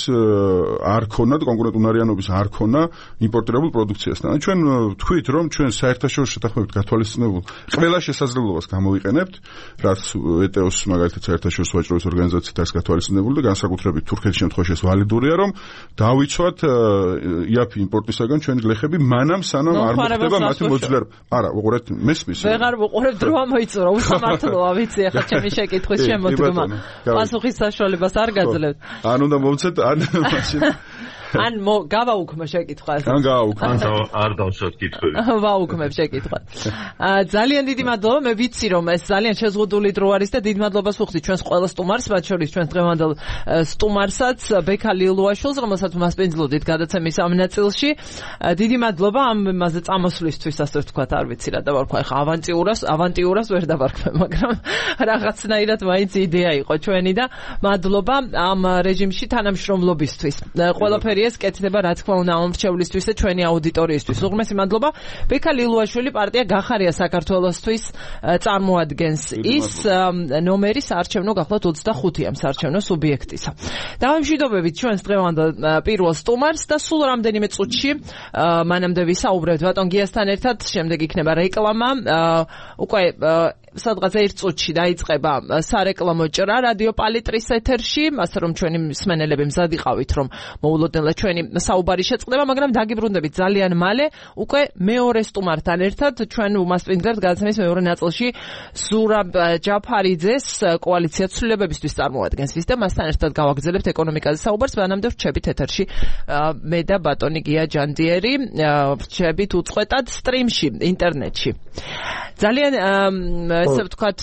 Speaker 3: არ ქონა და კონკურენტუნარიანობის არ ქონა იმპორტირებულ პროდუქციასთან. ჩვენ ვთქვით, რომ ჩვენ საერთაშორისო შეთანხმებით გათვალისწინებულ ყველა შესაძლებლობას გამოვიყენებთ, რაც ეტეოს მაგალითად საერთაშორისო ვაჭრობის ორგანიზაციით არის გათვალისწინებული და განსაკუთრებით თურქეთის შემთხვევაში ეს ვალიდურია, რომ დავიცვათ იაფი იმპორტისაგან ჩვენი გლეხები მანამ სანამ არ მოხდება მათი მოძლიერება. არა, უყურეთ, მესმის.
Speaker 1: ვეღარ ვუყურებ, დრო ამოიწურა, უსამართლოა, ვიცი, ახლა ჩემი შეკითხვის შემოდგმა. პასუხის საშუალებას არ გაძლევთ.
Speaker 3: ან უნდა მომცეთ, ან მაშინ
Speaker 1: ან გავაუქმე შეკითხვას.
Speaker 3: ან გავაუქმე.
Speaker 2: არ დავსვათ კითხვები.
Speaker 1: ვაუქმებ შეკითხვას. ძალიან დიდი მადლობა, მე ვიცი რომ ეს ძალიან შეზღუდული დრო არის და დიდ მადლობას ვუხდით ჩვენს ყველა სტუმარს, მათ შორის ჩვენს დღევანდელ სტუმარსაც, ბექა ლილუაშვილს, რომელსაც მასპინძლოდით გადაცემის ამ ნაწილში. დიდი მადლობა ამ მასზე წამოსვლისთვის, ასე ვთქვათ, არ ვიცი რა დავარქვა, ხა ავანტიურას, ავანტიურას ვერ დავარქვე, მაგრამ რაღაცნაირად მაინც იდეა იყო ჩვენი და მადლობა ამ რეჟიმში თანამშრომლობისთვის. ყველაფერი ეს კეთდება, რა თქმა უნდა, ამორჩევლისთვის და ჩვენი აუდიტორიისთვის. უღრმესი მადლობა. ბექა ლილუაშვილი პარტია გახარია საქართველოსთვის წარმოადგენს ის ნომერი საარჩევნო გახლავთ ოცდახუთი ამ საარჩევნო სუბიექტისა. დავამშვიდობებით ჩვენს დღევანდელ პირველ სტუმარს და სულ რამდენიმე წუთში მანამდე ვისაუბრებთ ბატონ გიასთან ერთად, შემდეგ იქნება რეკლამა. უკვე სადღაც ერთ წუთში დაიწყება სარეკლამო ჭრა რადიო პალიტრის ეთერში, ასე რომ ჩვენი მსმენელები მზად იყავით, რომ მოულოდნელად ჩვენი საუბარი შეწყდება, მაგრამ დაგიბრუნდებით ძალიან მალე უკვე მეორე სტუმართან ერთად. ჩვენ უმასპინძლებთ გადაცემის მეორე ნაწილში ზურაბ ჯაფარიძეს, კოალიცია ცვლილებებისთვის წარმოადგენს ის და მასთან ერთად გავაგრძელებთ ეკონომიკაზე საუბარს. მანამდე ვრჩებით ეთერში მე და ბატონი გია ჯანდიერი, ვრჩებით უწყვეტად სტრიმში, ინტერნეტში. ძალიან ესე ვთქვათ,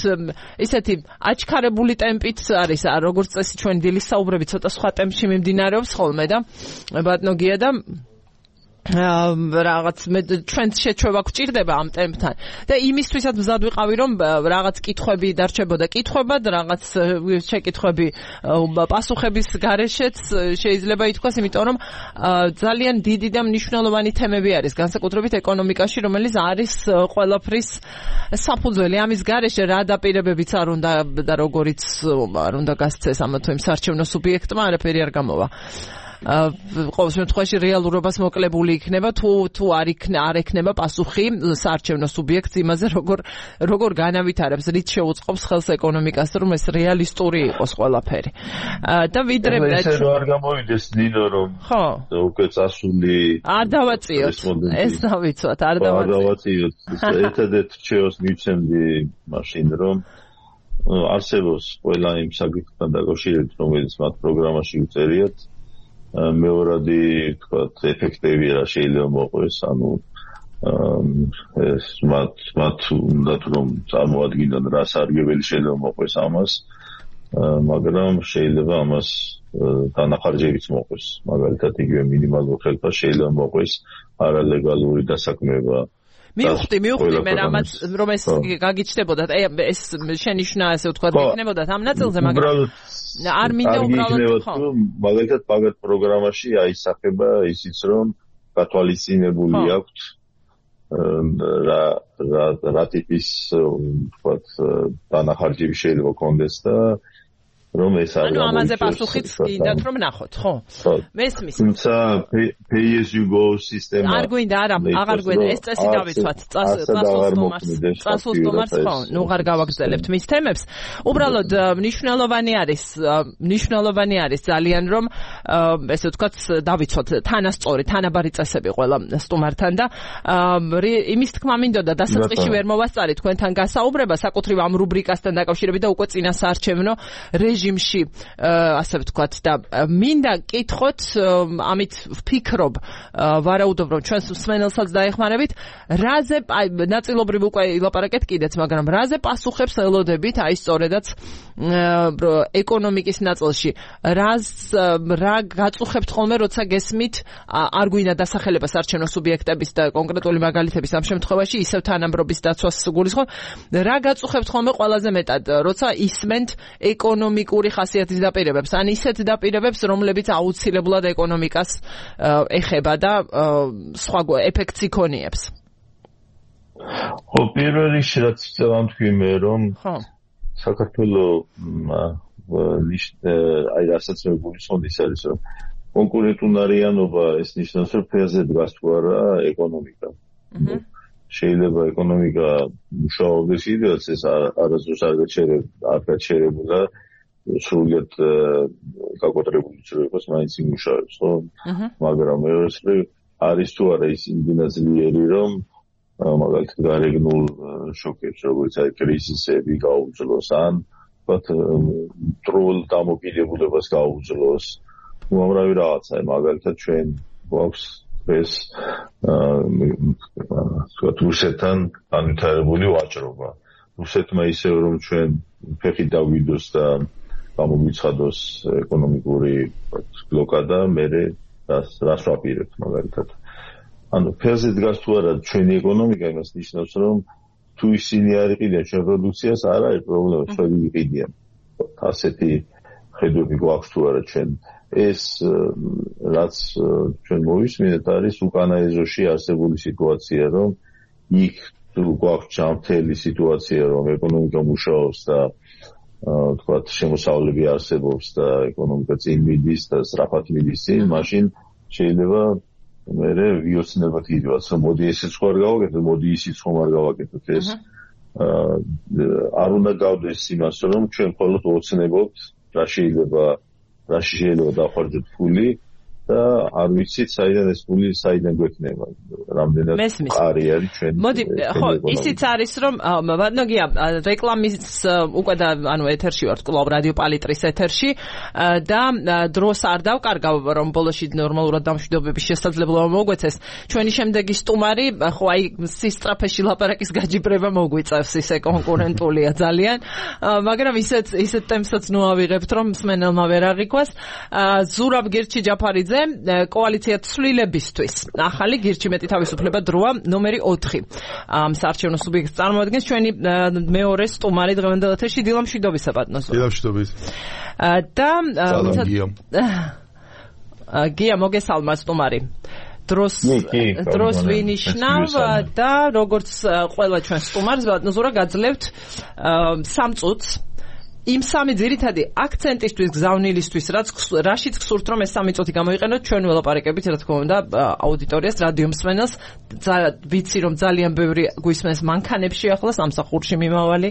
Speaker 1: ისეთი აჩქარებული ტემპით არის, როგორც წესი ჩვენი დილის საუბრები ცოტა სხვა ტემპში მიმდინარეობს ხოლმე და ბატონო გია და რაღაც მე ჩვენ შეჩვევა გვჭირდება ამ ტემპთან და იმისთვისაც მზად ვიყავი, რომ რაღაც კითხვები დარჩებოდა კითხვებად, რაღაც შეკითხვები პასუხების გარეშეც შეიძლება ითქვას, იმიტომ რომ ძალიან დიდი და მნიშვნელოვანი თემები არის, განსაკუთრებით ეკონომიკაში, რომელიც არის ყველაფრის საფუძველი. ამის გარეშე რა დაპირებებიც არ უნდა და როგორიც არ უნდა გასცეს ამა თუ იმ საარჩევნო სუბიექტმა, არაფერი არ გამოვა. ყოველ შემთხვევაში რეალურობას მოკლებული იქნება, თუ თუ არ იქნება არ ექნება პასუხი საარჩევნო სუბიექტს იმაზე, როგორ როგორ განავითარებს, რით შეუწყობს ხელს ეკონომიკას, რომ ეს რეალისტური იყოს ყველაფერი. და ვიდრე
Speaker 2: ეს არ გამოვიდეს ნინო, რომ ხო უკვე წასული
Speaker 1: არ დავაწიოთ, ეს დავიცვათ, არ
Speaker 2: დავაწიოთ. ერთადერთ რჩევას მივცემდი მაშინ, რომ არსებობს ყველა იმ საკითხთან დაკავშირებით, რომელიც მათ პროგრამაში უწერიათ. მეორადი, თქვათ, ეფექტები რა შეიძლება მოყვეს, ანუ ეს მათ მათ უნდათ რომ წარმოადგინონ რა სარგებელი შეიძლება მოყვეს ამას. მაგრამ შეიძლება ამას დანახარჯებიც მოყვის. მაგალითად იგივე მინიმალურ ხელფას შეიძლება მოყვის არალეგალური დასაქმება.
Speaker 1: მივხვდი, მივხვდი, მე რამაც რომ ეს გაგიჩნდებოდა, ეს შენიშვნა ასე ვთქვათ, იქნებოდა ამ ნაწილზე, მაგრამ არ მინდა უბრალოდ ხო.
Speaker 2: მაგალითად ბაგათ პროგრამაში აისახება ისიც რომ გათვალისწინებული აქვთ რა რა რა ტიპის ვთქვათ დანახარჯები შეიძლება კონდეს და რომ ეს არ
Speaker 1: ანუ ამაზე პასუხიც გინდათ რომ ნახოთ, ხო? მესმის.
Speaker 2: თუმცა pay as you go სისტემა
Speaker 1: არ გვინდა, არა, აღარ გვინდა, ეს წესი დავიცვათ, წასულსტომარს, წასულსტომარს ხო, ნუ აღარ გავაგრძელებთ მის თემებს. უბრალოდ მნიშვნელოვანი არის, მნიშვნელოვანი არის ძალიან რომ ესე ვთქვათ დავიცვათ თანასწორი, თანაბარი წესები ყველა სტუმართან და იმის თქმა მინდოდა დასაწყისში ვერ მოვასწარი თქვენთან გასაუბრება საკუთრივ ამ რუბრიკასთან დაკავშირებით და უკვე წინასაარჩევნო რეჟიმში ასე ვთქვათ და მინდა კითხოთ ამით ვფიქრობ ვარაუდობ რომ ჩვენს მსმენელსაც დაეხმარებით რაზე ნაწილობრივ უკვე ილაპარაკეთ კიდეც მაგრამ რაზე პასუხებს ელოდებით აი სწორედაც ეკონომიკის ნაწილში რას რა გაწუხებთ ხოლმე როცა გესმით არ გვინდა დასახელება საარჩევნო სუბიექტების და კონკრეტული მაგალითების ამ შემთხვევაში ისევ თანამბრობის დაცვას გულისხმობ რა გაწუხებთ ხოლმე ყველაზე მეტად როცა ისმენთ ეკონომიკური ხასიათის დაპირებებს ან ისეთ დაპირებებს რომლებიც აუცილებლად ეკონომიკას ეხება და სხვა ეფექტს იქონიებს
Speaker 2: ხო პირველ რიგში რაც ვამთქვი მე რომ საქართველოს აი რასაც მე გულისხმობ ის არის რომ კონკურენტუნარიანობა ეს ნიშნავს რომ ფერზე დგას თუ არა ეკონომიკა შეიძლება ეკონომიკა მუშაობდეს იდეალს ეს არასდროს არ გაჩერებულა სრულად გაკოტრებული ცრუებას მაინც იმუშავებს ხო მაგრამ მეორე არის თუ არა ის იმდენად ძლიერი რომ მაგალითად გარეგნულ შოკებს როგორც აი კრიზისები გაუძლოს ან ვთქვათ ტრულ დამოკიდებულებას გაუძლოს უამრავი რაღაცა მაგალითად ჩვენ გვაქვს ეს ვთქვათ რუსეთთან განვითარებული ვაჭრობა რუსეთმა ისევ რომ ჩვენ ფეხი დავიდოს და გამოგვიცხადოს ეკონომიკური ბლოკადა მერე რას რას ვაპირებთ მაგალითად ანუ ფერზე დგას თუ არა ჩვენი ეკონომიკა იმას ნიშნავს რომ თუ ისინი არ იყიდიან ჩვენ პროდუქციას არ არის პრობლემა ჩვენ ვიყიდიან ასეთი ხედვები გვაქვს თუ არა ჩვენ ეს რაც ჩვენ მოვისმინეთ არის უკანა ეზოში არსებული სიტუაცია რომ იქ თუ გვაქვს ჯანმრთელი სიტუაცია რომ ეკონომიკა მუშაობს და ვთქვათ შემოსავლები არსებობს და ეკონომიკა წინ მიდის და სწრაფად მიდის წინ მაშინ შეიძლება მერე ვიოცნებათ იდეას რომ მოდი ესეც ხარ გავაკეთოთ მოდი ისიც ხომ არ გავაკეთოთ ეს არ უნდა გავდეს იმას რომ ჩვენ მხოლოდ ოცნებობთ რა შეიძლება რა შეიძლება დავხარჯოთ ფული და არ ვიცით საიდან ეს ფული საიდან გვექნება რამდენად ყარი არის ჩვენ
Speaker 1: მოდი ხო ისიც არის რომ ნოგია რეკლამის უკვე და ანუ ეთერში ვართ კლუბ რადიო პალიტრის ეთერში და დროს არ დავკარგავ რომ ბოლოში ნორმალურად დამშვიდობების შესაძლებლობა მოგვეცეს ჩვენი შემდეგი სტუმარი ხო აი სისტრაფეში ლაპარაკის გაჯიბრება მოგვიწევს ისე კონკურენტულია ძალიან მაგრამ ისეთ ისეთ ტემსაც ნუ ავიღებთ რომ მსმენელმა ვერ აღიქვას ზურაბ გირჩი ჯაფარიძე კოალიცია ცვლილებისთვის ახალი გირჩი მეტი თავისუფლება დროა ნომერი ოთხი ამ საარჩევნო სუბიექტს წარმოადგენს ჩვენი მეორე სტუმარი დღევანდელ ეთერში დილა მშვიდობისა ბატონო
Speaker 3: დილა მშვიდობის
Speaker 1: და გია მოგესალმა სტუმარი დროს დროს ვინიშნავ და როგორც ყველა ჩვენ სტუმარს ბატონო ზურა გაძლევთ სამ წუთს იმ სამი ძირითადი აქცენტისთვის გზავნილისთვის რაც რაშიც გსურთ რომ ეს სამი წუთი გამოიყენოთ ჩვენ ველაპარაკებით რა თქმა უნდა აუდიტორიას რადიო მსმენელს ვიცი რომ ძალიან ბევრი გვისმენს მანქანებში ახლა სამსახურში მიმავალი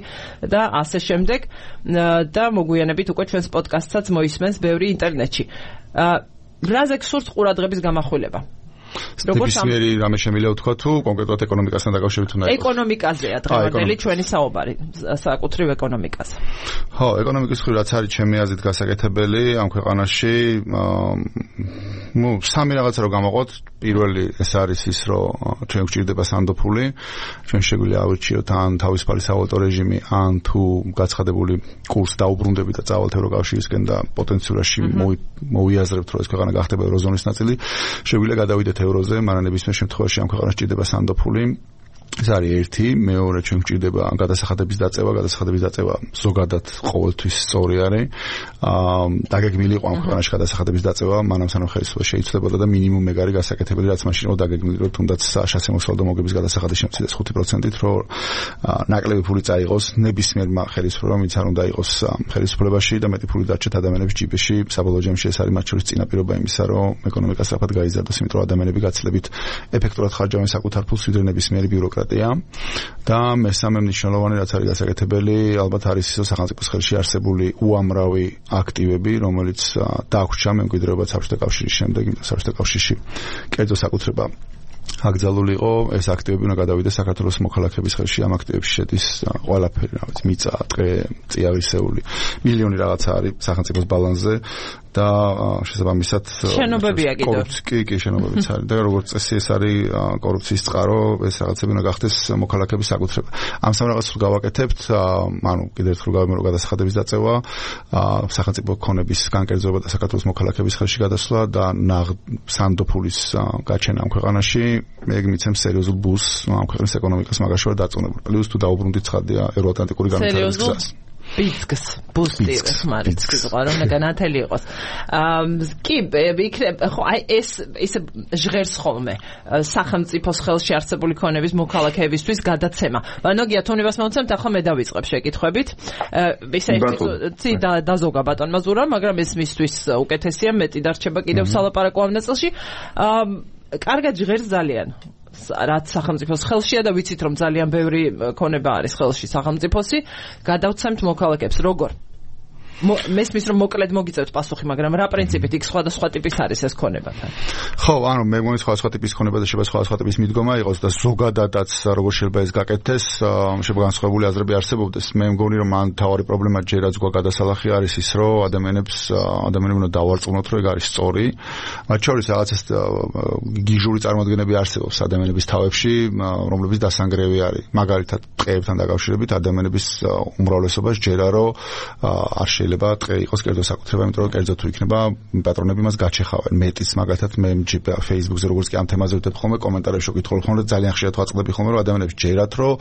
Speaker 1: და ასე შემდეგ და მოგვიანებით უკვე ჩვენს პოდკასტსაც მოისმენს ბევრი ინტერნეტში რაზე გსურთ ყურადღების გამახვილება
Speaker 4: ნებისმიერი რამე შემიძლია ვთქვა თუ კონკრეტულად ეკონომიკასთან დაკავშირებით უნდა იყოს.
Speaker 1: ეკონომიკაზეა დღევანდელი ჩვენი საუბარი, საკუთრივ ეკონომიკაზე.
Speaker 4: ხო, ეკონომიკის მხრივ რაც არის ჩემი აზრით გასაკეთებელი ამ ქვეყანაში, ნუ სამი რაღაცა რო გამოვყოთ, პირველი ეს არის ის, რომ ჩვენ გვჭირდება სანდოფული, ჩვენ შეგვიძლია ავირჩიოთ ან თავისუფალი სავალუტო რეჟიმი, ან თუ გაცხადებული კურსი დაუბრუნდებით და წავალთ ევროკავშირისკენ და პოტენციალში მოვიაზრებთ, რომ ეს ქვეყანა გახდება ევროზონის ნაწილი, შეგვიძლია გადავიდეთ ევროზე, მაგრამ ნებისმიერ შემთხვევაში ამ ქვეყანას ჭირდება სანდოფული. ეს არის ერთი, მეორე ჩვენ გვჭირდება გადასახადების დაწევა, გადასახადების დაწევა ზოგადად ყოველთვის სწორი არის. აა დაგეგმილი იყო ამ ქვეყანაში გადასახადების დაწევა, მანამ სანამ ხელისუფლება შეიცვლებოდა და მინიმუმ ეგ არის გასაკეთებელი, რაც მაშინ იყო დაგეგმილი, რომ თუნდაც სასამოსალო მოგების გადასახადი შემცირდეს ხუთი პროცენტით, რომ ნაკლები ფული წაიღოს ნებისმიერმა ხელისუფლებამ, ვინც არ უნდა იყოს ხელისუფლებაში და მეტი ფული დარჩეთ ადამიანების ჯიბეში. საბოლოო ჯამში ეს არის მათ შორის წინაპირობა იმისა, რომ ეკონომიკა სწრაფად გაიზარდოს, იმიტომ რომ ადამიანები გაცილებით ეფექტურად ხარჯავენ საკუთარ ფულს, ვიდრე ნებისმიერი ბიუროკრატია. და მესამე მნიშვნელოვანი რაც არის გასაკეთებელი, ალბათ არის ის, რომ სახელმწიფოს ხელში არსებული უამრავი აქტივები, რომელიც დაგვრჩა მემკვიდრეობა საბჭოთა კავშირის შემდეგ, იმიტომ საბჭოთა კავშირში კერძო საკუთრება აკრძალული იყო, ეს აქტივები უნდა გადავიდეს საქართველოს მოქალაქეების ხელში, ამ აქტივებში შედის ყველაფერი, რა ვიცი, მიწა, ტყე, წიაღისეული, მილიონი რაღაცა არის სახელმწიფოს ბალანსზე და შესაბამისად
Speaker 1: შენობებია კიდევ.
Speaker 4: კი, კი, შენობებიც არის. და როგორც წესი ეს არის კორუფციის წყარო, ეს რაღაცები უნდა გახდეს მოქალაქეების საკუთრება. ამ სამ რაღაცს გავაკეთებთ, ანუ კიდევ ერთხელ გავიმეორო გადასახადების დაწევა, სახელმწიფო ქონების განკერძოება და საქართველოს მოქალაქეების ხელში გადასვლა და სანდოფულის გაჩენა ამ ქვეყანაში, ეგ მიცემს სერიოზულ ბუსტს ამ ქვეყნის ეკონომიკას მაგაში ვარ დაწუნებული. პლუს თუ დაუბრუნდით ცხადია ევროატლანტიკური განვითარების გზას.
Speaker 1: ბიცკს, ბუსტი, ხმარიცკს ყარო უნდა განათელი იყოს. კი, იქნება, ხო, აი ეს ისე ჟღერს ხოლმე სახელმწიფოს ხელში არსებული ქონების მოქალაქეებისთვის გადაცემა. ნოგია თონებას მოვცემთ, ახლა მე დავიწყებ შეკითხვებით. ისე ცი დაზოგა ბატონმა ზურა, მაგრამ ეს მისთვის უკეთესია, მეტი დარჩება კიდევ სალაპარაკო ამ ნაწილში. კარგად ჟღერს ძალიან. რაც სახელმწიფოს ხელშია და ვიცით რომ ძალიან ბევრი ქონება არის ხელში სახელმწიფოსი, გადავცემთ მოქალაქეებს. როგორ? მესმის რომ მოკლედ მოგიწევთ პასუხი, მაგრამ რა პრინციპით იქ სხვადასხვა ტიპის არის ეს ქონებათან?
Speaker 4: ხო, ანუ მე მგონი სხვადასხვა ტიპის ქონება და შეიძლება სხვადასხვა ტიპის მიდგომა იყოს და ზოგადადაც როგორ შეიძლება ეს გაკეთდეს, შეიძლება განსხვავებული აზრები არსებობდეს. მე მგონი რომ ან თავარი პრობლემა ჯერაც გვა გადასალახი არის ის, რომ ადამიანებს ადამიანები უნდა დავარწმუნოთ, რომ ეგ არის სწორი. მათ შორის რაღაცა გიჟური წარმოადგენები არსებობს ადამიანების თავებში, რომლებიც დასანგრევი არის. მაგალითად, ტყეებთან დაკავშირებით ადამიანების უმრავლესობას ჯერა რომ არ შეიძლება ტყე იყოს კერძო საკუთრება, იმიტომ რომ კერძო თუ იქნება, პატრონები მას გაჩეხავენ. მეტიც მაგალითად მე Facebook-ზე როგორც კი ამ თემაზე ვიტებ ხოლმე, კომენტარებში ვკითხულობ ხოლმე და ძალიან ხშირად ვაწყდები ხოლმე, რომ ადამიანებს ჯერათ, რომ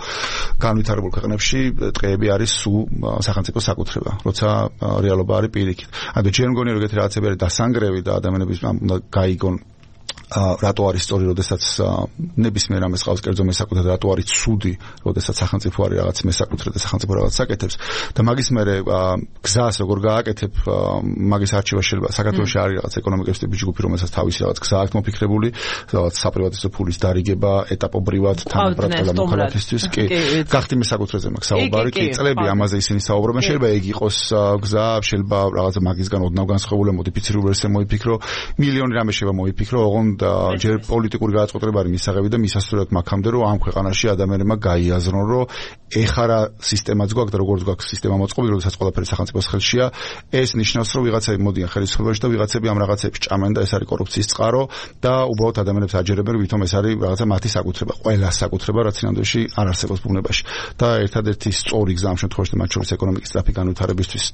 Speaker 4: განვითარებულ ქვეყნებში ტყეები არის სულ სახელმწიფო საკუთრება, როცა რეალობა არის პირიქით. ანუ ჯერ მგონი რომ ეგეთი რაღაცები არის დასანგრევი და ადამიანების უნდა გაიგონ რატო არის სწორი, როდესაც ნებისმიერ ამას ყავს კერძო მესაკუთრე და რატო არის ცუდი, როდესაც სახელმწიფო არის რაღაც მესაკუთრე და სახელმწიფო რაღაც აკეთებს და მაგის მერე გზას როგორ გააკეთებ, მაგის არჩევა შეიძლება საქართველოში არის რაღაც ეკონომიკის ტიპის ჯგუფი, რომელსაც თავისი რაღაც გზა აქვს მოფიქრებული, რაღაც საპრივატიზო ფულის დარიგება ეტაპობრივად თანაბრატყელა მოქალაქისთვის, კი, გახდი მესაკუთრეზე მაქვს საუბარი, კი, წლები ამაზე ისინი საუბრობენ, შეიძლება ეგ იყოს გზა, შეიძლება რაღაცა მაგისგან ოდნავ განსხვავებული მოდიფიცირებული ვერსია მოიფიქრო, მილიონი რამე შეიძლება მოიფიქრო, ოღონდ ჯერ პოლიტიკური გადაწყვეტილება არის მისაღები და მისასწორებთ მაგამდე, რომ ამ ქვეყანაში ადამიანებმა გაიაზრონ, რომ ეხლა რა სისტემაც გვაქვს და როგორც გვაქვს სისტემა მოწყობილი, როდესაც ყველაფერი სახელმწიფოს ხელშია, ეს ნიშნავს, რომ ვიღაცები მოდიან ხელისუფლებაში და ვიღაცები ამ რაღაცებს ჭამენ და ეს არის კორუფციის წყარო და უბრალოდ ადამიანებს აჯერებენ, ვითომ ეს არის რაღაცა მათი საკუთრება, ყველა საკუთრება, რაც ინანდოში არ არსებობს ბუნებაში. და ერთადერთი სწორი გზა ამ შემთხვევაში მათ შორის ეკონომიკის სწრაფი განვითარებისთვის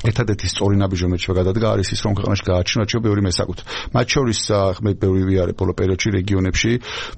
Speaker 4: ერთადერთი სწორი ნაბიჯი რომელიც გადადგა არის ის, რომ ქვეყანაში გააჩინა ჩვენ ბევრი მესაკუთრე. მათ შორის მე ბევრი არის ბოლო პერიოდში რეგიონებში.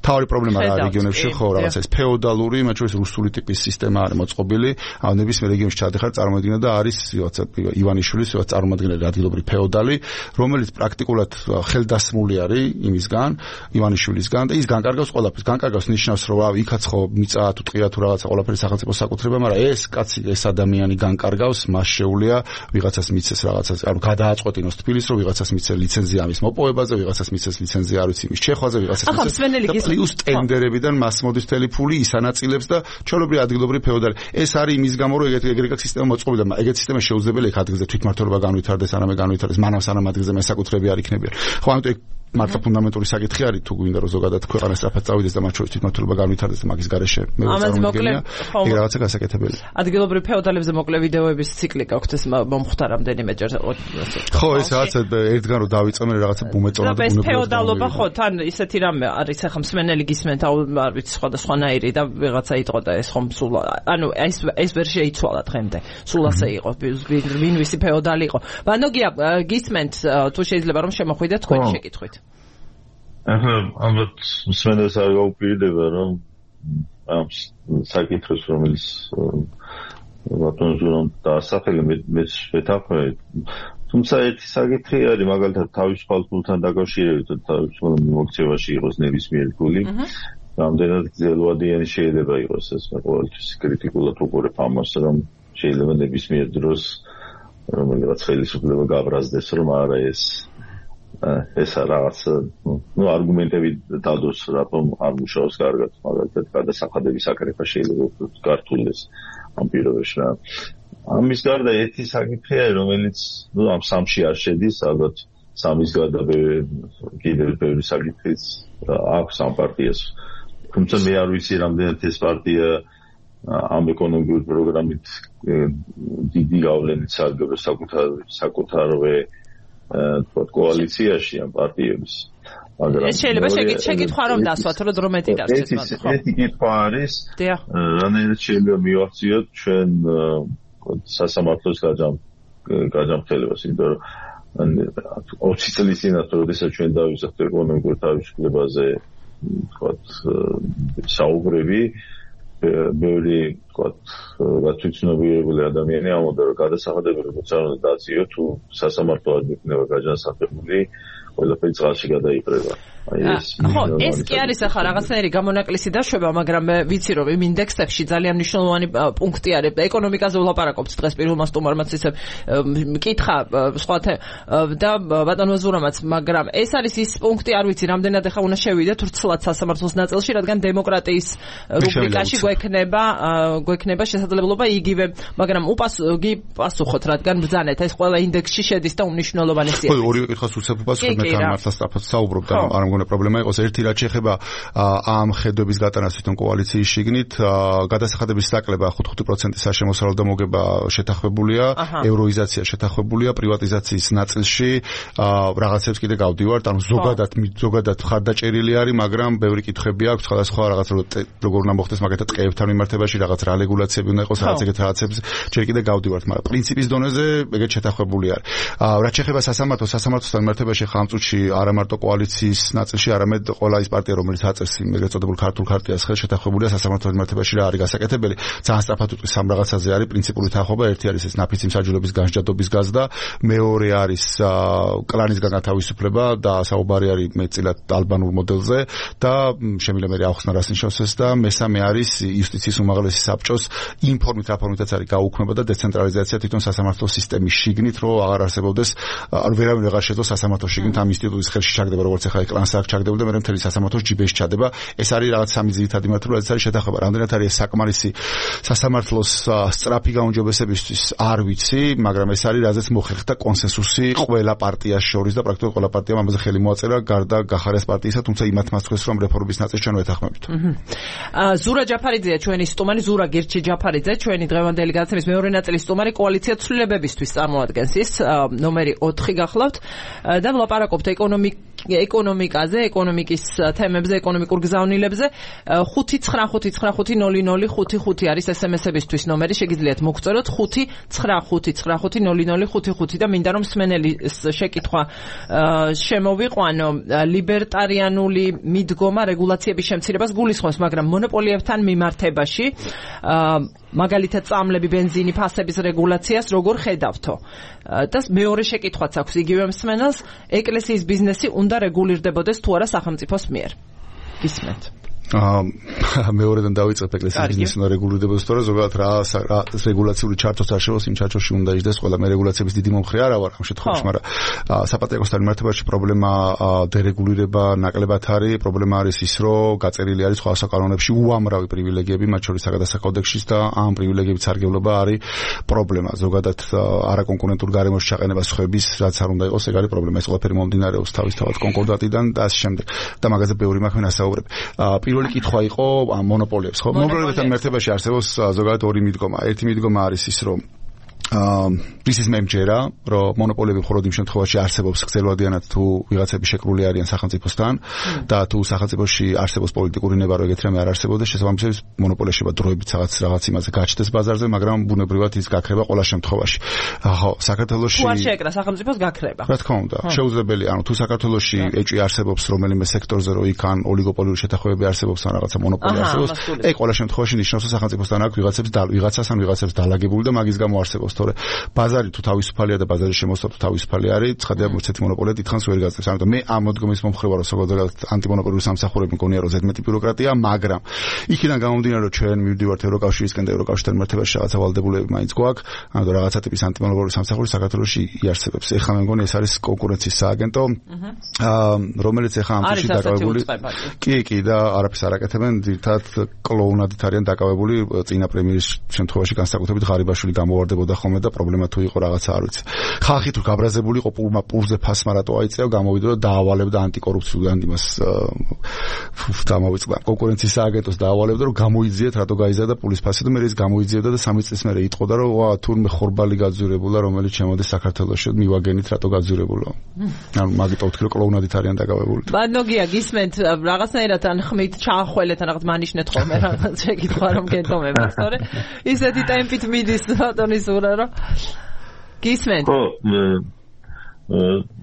Speaker 4: თავი პრობლემა რა რეგიონებში, ხო, რაღაცა ეს ფეოდალური, მათ შორის რუსული ტიპის სისტემა არის მოწყობილი. ანუ ნებისმიერ რეგიონში ჩადეხარ წარმოედგინა და არის რაღაცა ივანიშვილის რაღაც წარმოადგენელი ადგილობრივი ფეოდალი, რომელიც პრაქტიკულად ხელდასმული არის იმისგან, ივანიშვილისგან და ის განკარგავს ყველაფერს. განკარგავს ნიშნავს, რომ ავი იქაც ხო მიწა თუ ტყია თუ რაღაცა ყველაფერი სახელმწიფოს საკუთრება, მაგრამ ეს კაცი, ეს ადამიანი განკარგავს, მას შეუძლია ვიღაცას მიცეს რაღაცას, ანუ გადააწყვეტინოს თბილისს, რომ ვიღაცას მიცეს ლიცენზია ამის მოპოვებაზე, ვიღაცას მიცეს ლიცენზია არ ვიცი იმის ჩეხვაზე, ვიღაცას მიცეს პლუს ტენდერებიდან მას მოდის მთელი ფული ის ანაწილებს და ჩვეულებრივი ადგილობრივი ფეოდალი. ეს არის იმის გამო, რომ ეგეთი ეგრეკა სისტემა მოწყობილი და ეგეთი სისტემა შეუძლებელი იქ ადგილზე თვითმმართველობა განვითარდეს, არამე განვითარდეს, მანამ სანამ ადგილზე მესაკუთრეები არ იქნებიან. ხო, ამიტომ მართლა ფუნდამენტური საკითხი არის თუ გვინდა რომ ზოგადად ქვეყანა სწრაფად წავიდეს და მათ შორის თვითმმართველობა განვითარდეს და მაგის გარეშე მე
Speaker 1: წარმოგიდგენია
Speaker 4: ეგ რაღაცა გასაკეთებელი.
Speaker 1: ადგილობრივ ფეოდალებზე მოკლე ვიდეოების ციკლი გაქვთ ეს მომხდარ რამდენიმე ჯერ
Speaker 4: ხო ეს რაღაცა ერთგან რომ დავიწყე რაღაცა ბუმეწონა და ბუნებრივად
Speaker 1: ფეოდალობა ხო თან ისეთი რამე არის ახლა მსმენელი გისმენთ არ ვიცი სხვადასხვანაირი და ვიღაცა იტყო და ეს ხომ სულ ანუ ეს ეს ვერ შეიცვალა დღემდე სულ ასე იყო ვინ ვისი ფეოდალი იყო ბანოგია გისმენთ თუ შეიძლება რომ შემოხვიდეთ თქვენი შეკითხვით
Speaker 2: ახლა ალბათ მსმენელს არ გაუპირდება რომ ამ საკითხს რომელიც ბატონ ზურამ დაასახელა მე შეთანხმე თუმცა ერთი საკითხი არის მაგალითად თავისუფალ ფულთან დაკავშირებით თავისუფალ მიმოქცევაში იყოს ნებისმიერი ფული რამდენად გრძელვადიანი შეიძლება იყოს ეს მე ყოველთვის კრიტიკულად უყურებ ამას რომ შეიძლება ნებისმიერ დროს რომელიღაც ხელისუფლება გაბრაზდეს რომ არა ეს ეს რაღაც ნუ არგუმენტები დადოს რატომ არ მუშაობს კარგად მაგალითად გადასახადების აკრეფა შეიძლება გართულდეს ამ პირობებში რა ამის გარდა ერთი საკითხი არის რომელიც ნუ ამ სამში არ შედის ალბათ სამის გარდა კიდევ ბევრი საკითხიც აქვს ამ პარტიას თუმცა მე არ ვიცი რამდენად ეს პარტია ამ ეკონომიკური პროგრამით დიდი გავლენით სარგებლობს საკუთარ საკუთარვე თქო კოალიციაში ამ პარტიების მაგრამ
Speaker 1: ეს შეიძლება შეკითხვა რომ დასვათ რომ დრო მეტი დარჩეს
Speaker 2: მაგრამ ხო ერთი კითხვა არის რანაირად შეიძლება მივახციოთ ჩვენ სასამართლოს გაჯამ გაჯამრთელებას იმიტომ რომ ოცი წლის წინათ როდესაც ჩვენ დავიზახთ ეკონომიკურ თავისუფლებაზე თქო საუბრები ბევრი თქო გაწვიცნობიერებული ადამიანი ამბობდა რომ გადასახადები როგორც არ უნდა დაწიო თუ სასამართლო არ იქნება გაჯანსაღებული ყველაფერი წყალში გადაიყრება
Speaker 1: ხო ეს კი არის ახლა რაღაცნაირი გამონაკლისი დაშვება მაგრამ ვიცი რომ იმ ინდექსებში ძალიან მნიშვნელოვანი პუნქტი არის ეკონომიკაზე ვლაპარაკობთ დღეს პირველმა სტუმარმა ისე მკითხა სხვათა და ბატონო ზურამაც მაგრამ ეს არის ის პუნქტი არ ვიცი რამდენად ახლა უნდა შევიდეთ რცლად სასამართლოს ნაწილში რადგან დემოკრატიის რუბრიკაში გვექნება გვექნება შესაძლებლობა იგივე მაგრამ უპასუხი პასუხოთ რადგან ბრძანეთ ეს ყველა ინდექსში შედის და უმნიშვნელოვანესია
Speaker 4: ხო ორივე კითხვას უცებ პასუხობ მე თან მართლა სწრაფად საუბრობ და არ მგონია პრობლემა იყოს ერთი რაც შეეხება ამ ხედვების გატანას თვითონ კოალიციის შიგნით გადასახადების საკლება ხუთი პროცენტის შემოსავალ და მოგება შეთანხმებულია ევროიზაცია შეთანხმებულია პრივატიზაციის ნაწილში რაღაცებს კიდე გავდივართ ანუ ზოგადად ზოგადად ხარდაჭერილი არის მაგრამ ბევრი კითხვები აქვს სხვადასხვა რაღაც როგორ უნდა მოხდეს მაგათაც ტყეებთან მიმართებაში რაღაც რა რეგულაციები უნდა იყოს რაღაც ეგეთ რაღაცებს ჯერ კიდე გავდივართ მაგრამ პრინციპის დონეზე ეგეთ შეთანხმებული არის რაც შეეხება სასამართლოს სასამართლოსთან მიმართებაში ხამ წუთში არა მარტო კოალიციის ნაწილში არამედ ყველა ის პარტია რომელიც აწევს იმ ეგრეთ წოდებულ ქართულ ქარტიას ხელ შეთანხმებულია სასამართლოს მიმართებაში რა არის გასაკეთებელი ძალიან სწრაფად უწყვის სამ რაღაცაზე არის პრინციპული თანხმობა ერთი არის ეს ნაფიცი მსაჯულების განსჯადობის გაზრდა მეორე არის კლანისგან გათავისუფლება და საუბარი არის მეტწილად ალბანურ მოდელზე და შემიძლია მე ახსნა რასნიშნავს და მესამე არის იუსტიციის უმაღლესი საბჭოს ინფორმით რა ფორმითაც არის გაუქმება და დეცენტრალიზაცია თვითონ სასამართლოს სისტემის შიგნით რომ აღარ არსებობდეს ანუ ვერავინ აღარ შეძლოს სასამართლოს შიგნით ამ ინსტიტუტის ხელში ჩაგდება როგორც ახლა ეკლანს აქ ჩაგდებოდა და მე მთელი სასამართლოს ჯიბეში ჩადება ეს არის რაღაც სამი ძირითადი მართლობა რაც არის შეთანხმება რამდენად არის საკმარისი სასამართლოს სწრაფი გაუმჯობესებისთვის არ ვიცი მაგრამ ეს არის რაზეც მოხერხდა კონსენსუსი ყველა პარტიას შორის და პრაქტიკულად ყველა პარტიამ ამაზე ხელი მოაწერა გარდა გახარეს პარტიისა თუმცა იმათ მას თქვეს რომ რეფორმის ნაწილს ჩვენ ვეთანხმებით
Speaker 1: ზურა ჯაფარიძეა ჩვენი სტუმარი ზურა გირჩი ჯაფარიძე ჩვენი დღევანდელი გადაცემის მეორე ნაწილის სტუმარი კოალიცია ცვლილებებისთვის წარმოადგენს ის ნომერი ოთხი გახლავთ და ვლაპარაკობთ ეკონომიკ ეკონომიკაზე, ეკონომიკის თემებზე, ეკონომიკურ გზავნილებზე ხუთი ცხრა ხუთი ცხრა ხუთი ნული ნული ხუთი ხუთი არის ეს ემ ეს-ებისთვის ნომერი შეგიძლიათ მოგწეროთ ხუთი ცხრა ხუთი ცხრა ხუთი ნული ნული ხუთი ხუთი და მინდა რომ მსმენელის შეკითხვა შემოვიყვანო ლიბერტარიანული მიდგომა რეგულაციების შემცირებას გულისხმობს მაგრამ მონოპოლიებთან მიმართებაში მაგალითად წამლები ბენზინი ფასების რეგულაციას როგორ ხედავთო და მეორე შეკითხვაც აქვს იგივე მსმენელს ეკლესიის ბიზნესი უნდა რეგულირდებოდეს თუ არა სახელმწიფოს მიერ გისმენთ
Speaker 4: აა მეორედან დავიწყებ ეკლესიის ბიზნესის უნდა რეგულირებოდეს, თორე ზოგადად რა რეგულაციული ჩარტოც არ შევოს, იმ ჩარტოში უნდა იჯდეს ყველა. მე რეგულაციების დიდი მომხრე არა ვარ ამ შემთხვევაში, მაგრამ საპატრიარქოსთან მიმართებაში პრობლემა დერეგულირება ნაკლებად არის, პრობლემა არის ის, რომ გაწერილი არის სხვა საკანონებში უამრავი პრივილეგიები, მათ შორის საგადასახადო კოდექსის და ამ პრივილეგიების სარგებლობა არის პრობლემა. ზოგადად არაკონკურენტულ გარემოში ჩაყენება სხვების, რაც არ უნდა იყოს, ეგ არის პრობლემა. ეს ყველაფერი მომდინარეობს თავისთავად კონკორდატიდან და ამ შემდეგ. და მაგაზე ბევრი მაქვს მე ასაუბრებ. პირველი კითხვა იყო მონოპოლიებს, ხო? მონოპოლიებთან მიმართებაში არსებობს ზოგადად ორი მიდგომა. ერთი მიდგომა არის ის, რომ ის ის მემჯერა, რომ მონოპოლიები მხოლოდ იმ შემთხვევაში არსებობს გრძელვადიანად თუ ვიღაცები შეკრული არიან სახელმწიფოსთან და თუ სახელმწიფოში არსებობს პოლიტიკური ნება, რომ ეგეთი რამე არ არსებობდეს, შესაბამისად მონოპოლია შეიძლება დროებით რაღაც რაღაც იმაზე გაჩნდეს ბაზარზე, მაგრამ ბუნებრივად ის გაქრება ყველა შემთხვევაში. ხო, საქართველოში
Speaker 1: თუ არ შეეკრა სახელმწიფოს გაქრება.
Speaker 4: რა თქმა უნდა, შეუძლებელი, ანუ თუ საქართველოში ეჭვი არსებობს რომელიმე სექტორზე, რომ იქ ან ოლიგოპოლიური შეთანხმებები არსებობს ან რაღაცა მონოპოლია არსებობს, ეგ ყველა შემთხვევაში ნიშნავს, რომ სახელმწიფოსთან აქვს ვიღაცებს და ვიღაცას ან ვიღაცებს დალაგებული და მაგის გამო არსებობს. თორე ბაზარი თუ თავისუფალია და ბაზარის შემოსვლა თუ თავისუფალი არის, ცხადია ერთ-ერთი მონოპოლია დიდხანს ვერ გაწევს. ამიტომ მე ამ მოდგომის მომხრე ვარ, ზოგადად ანტიმონოპოლიური სამსახურები მგონია, რომ ზედმეტი ბიუროკრატია, მაგრამ იქიდან გამომდინარე, რომ ჩვენ მივდივართ ევროკავშირისკენ და ევროკავშირთან მიმართებაში რაღაცა ვალდებულებები მაინც გვაქვს, ამიტომ რაღაცა ტიპის ანტიმონოპოლიური სამსახური საქართველოში იარსებებს. ეხლა მე მგონი ეს არის კონკურენციის სააგენტო, რომელიც ეხლა ამ წუთში დაკავებული. კი, კი და არაფერს არ აკეთებენ, ძირთად კლოუნადით არიან დაკავებული. წინა პრემიერის შემთხვევაში განსაკუთრებით ღარიბაშვილი გამოვარდებოდა ხოლმე და პრობლემა თუ იყო რაღაცა არ ვიცი. ხალხი თუ გაბრაზებული იყო პურმა პურზე ფასმა რატო აიწევა, გამოვიდა და დაავალებდა ანტიკორუფციულ იმას დამოვიწყდა. კონკურენციის სააგენტოს დაავალებდა, რომ გამოიძიეთ რატო გაიზარდა პულის ფასი და მე ის გამოიძიებდა და სამი წლის მერე იტყოდა, რომ ვა თურმე ხორბალი გაძვირებულა, რომელიც შემოდის საქართველოში, მივაგენით რატო გაძვირებულა. ანუ მაგიტო ვთქვი, რომ კლოუნადით არიან დაკავებული.
Speaker 1: ბანოგია გისმენთ რაღაცნაირად ან ხმით ჩაახველეთ ან რაღაც მანიშნეთ ხოლმე რაღაც შეკითხვა რომ გეტომებათ, თორე ისეთი ტემპით მიდის ბატონის ურა რომ გისმენთ.
Speaker 2: ხო,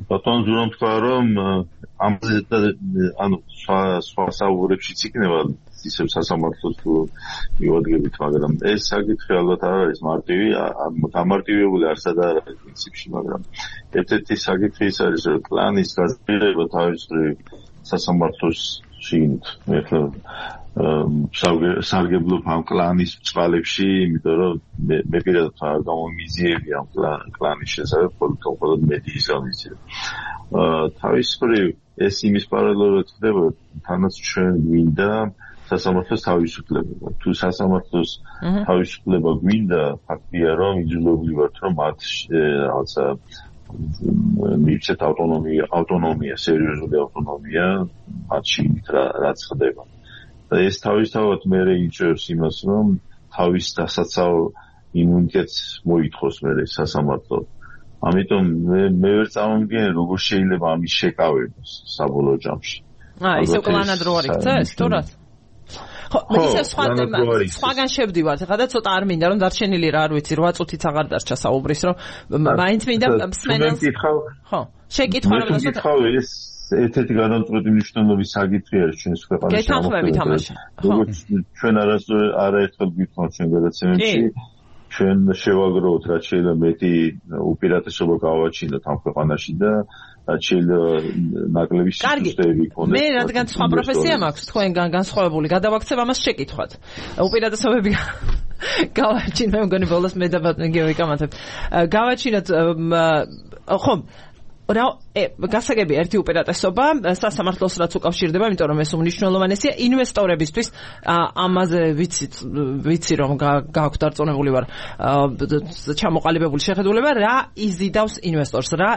Speaker 2: ბატონ ზურამ თქვა რომ ამაზე ანუ სხვა სხვა საუბრებშიც იქნება ისევ სასამართლოს თუ მივადგებით, მაგრამ ეს საკითხი ალბათ არ არის მარტივი, გამარტივებული არსად არ არის პრინციპში, მაგრამ ერთ-ერთი საკითხი ის არის, რომ კლანის გაზრდილება თავისუფლი სასამართლოს შინით. ეხლა სარგებლობ ამ კლანის წყალებში, იმიტომ რომ მე პირადად არ გამომიზიები ამ კლანის შესახებ, მხოლოდ მედიის გამიზიები. თავისუფლი ეს იმის პარალელურად ხდება, თანაც ჩვენ გვინდა სასამართლოს თავისუფლება. თუ სასამართლოს თავისუფლება გვინდა, ფაქტია რომ იძულებული ვართ, რომ მათ რაღაცა მივცეთ ავტონომია, ავტონომია, სერიოზული ავტონომია მათში, რაც ხდება. და ეს თავისთავად მერე იჭერს იმას, რომ თავის დასაცავ იმუნიტეტს მოითხოვს მერე სასამართლო. ამიტომ მე მე ვერ წამომგენ, როგორ შეიძლება ამის შეკავება საბოლოო ჯამში.
Speaker 1: აა, ისე კლანად რო არ იქცეს, თორად? ხო, მე ისე სხვა სხვაგან შევდივართ, ხა და ცოტა არ მინდა რომ დარჩენილი რა არ ვიცი, რვა წუთიც აღარ დარჩა საუბრის, რომ მაინც მინდა მსმენელს. ხო, შეკითხვა რომ
Speaker 2: ცოტა ეს ერთ-ერთი განამწყვეტი მნიშვნელობის საკითხი არის ჩვენს ქვეყანაში.
Speaker 1: გეთანხმებით ამაში.
Speaker 2: როგორც ჩვენ არასდროს არაერთხელ გვითხოვთ ჩვენ გადაცემებში, ჩვენ შევაგროვოთ რაც შეიძლება მეტი უპირატესობა გავაჩინოთ ამ ქვეყანაში და რაც შეიძლება ნაკლები სისტემები იქონდეს.
Speaker 1: მე რადგან სხვა პროფესია მაქვს, თქვენგან განსხვავებული, გადავაქცევ ამას შეკითხვათ. უპირატესობები გავაჩინოთ, მე მგონი ბოლოს მე და ბატონი ვიკამათებ. გავაჩინოთ ხო რა გასაგები ერთი უპირატესობა სასამართლოს რაც უკავშირდება, იმიტომ რომ ეს უმნიშვნელოვანესია ინვესტორებისთვის. ამაზე ვიცი ვიცი რომ გააქვთ დარწმუნებული ვარ ჩამოყალიბებული შეხედულება, რა იზიდავს ინვესტორს, რა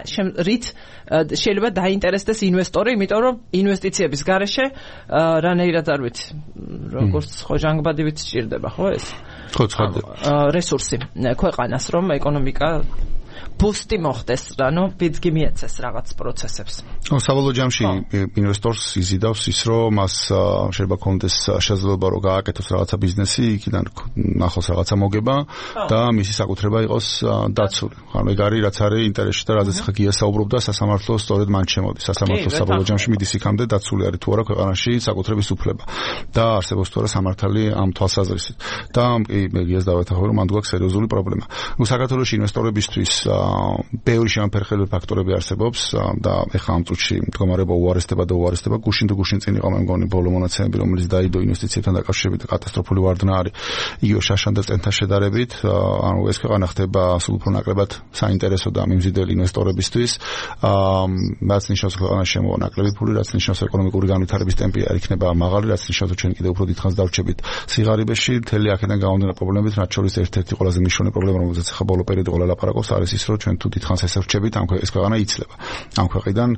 Speaker 1: რით შეიძლება დაინტერესდეს ინვესტორი, იმიტომ რომ ინვესტიციების გარეშე რანაირად არ ვიცი როგორც ხო ჟანგბადი ვიცი სჭირდება, ხო ეს
Speaker 4: ხო ცხადია
Speaker 1: რესურსი ქვეყანას, რომ ეკონომიკა ბუსტი მოხდეს, ანუ ბიძგი მიეცეს რაღაც პროცესებს.
Speaker 4: ო საბოლოო ჯამში ინვესტორს იზიდავს ის, რომ მას შეიძლება კონდეს შესაძლებლობა რომ გააკეთოს რაღაცა ბიზნესი, იქიდან ნახოს რაღაცა მოგება და მისი საკუთრება იყოს დაცული. ანუ ეგ არის რაც არის ინტერესში და რაზეც ხა გია საუბრობდა სასამართლო სწორედ მან შემოდის. სასამართლო საბოლოო ჯამში მიდის იქამდე დაცული არის თუ არა ქვეყანაში საკუთრების უფლება და არსებობს თუ არა სამართალი ამ თვალსაზრისით. და კი მე გიას დავეთანხმებ რომ მანდ გვაქვს სერიოზული პრობლემა. ნუ საქართველოს ინვესტორებისთვის ბევრი შემოფერხებელი ფაქტორები არსებობს და ეხლა ამ წუთში მდგომარეობა უარესდება და უარესდება. გუშინ თუ გუშინ წინ იყო მე მგონი ბოლო მონაცემები, რომელიც დაიდო ინვესტიციებთან დაკავშირებით კატასტროფული ვარდნა არის იგივე შაშან და წენთან შედარებით. ანუ ეს ქვეყანა ხდება სულ უფრო ნაკლებად საინტერესო და მიმზიდველი ინვესტორებისთვის. რაც ნიშნავს ქვეყანაში შემოვა ნაკლები ფული, რაც ნიშნავს ეკონომიკური განვითარების ტემპი არ იქნება მაღალი, რაც ნიშნავს რომ ჩვენ კიდევ უფრო დიდხანს დავრჩებით სიღარიბეში. მთელი აქედან გამომდინარე პრობლემებით, რაც შორის ერთ-ერთი ყველაზე მნიშვნელოვანი პრობლემა, რომელზეც ახლა ბოლო პერიოდი ყველა ლაპარაკობს, არის ის, რომ ჩვენ თუ დიდხანს ეს რჩებით, ამ ეს ქვეყანა იცლება. ამ ქვეყნიდან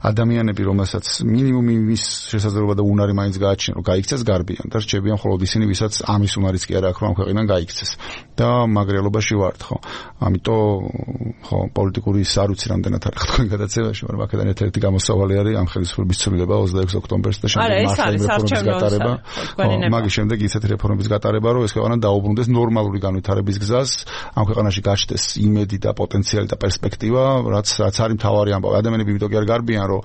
Speaker 4: ადამიანები, რომელსაც მინიმუმი მის შესაძლებლობა და უნარი მაინც გააჩნია, რომ გაიქცეს გარბიან და რჩებიან მხოლოდ ისინი, ვისაც ამის უნარიც კი არ აქვს, რომ ამ ქვეყნიდან გაიქცეს. და მაგრელობაში ვართ, ხო? ამიტომ ხო, პოლიტიკური არ ვიცი რამდენად არის თქვენ გადაცემაში, მაგრამ აქედან ერთ-ერთი გამოსავალი არის ამ ხელისუფლების ცვლილება ოცდაექვსი ოქტომბერს და შემდეგ მართლმადიდებლობის რეფორმის გატარება. მაგის შემდეგ ისეთი რეფორმების გატარება, რომ ეს ქვეყანა დაუბრუნდეს ნორმალური განვითარების გზას, ამ ქვეყანაში გაჩნდეს იმედი და პოტენციალი და პერსპექტივა, რაც რაც არის მთავარი ამბავი. ადამიანები იმიტომ კი არ გარბიან, რომ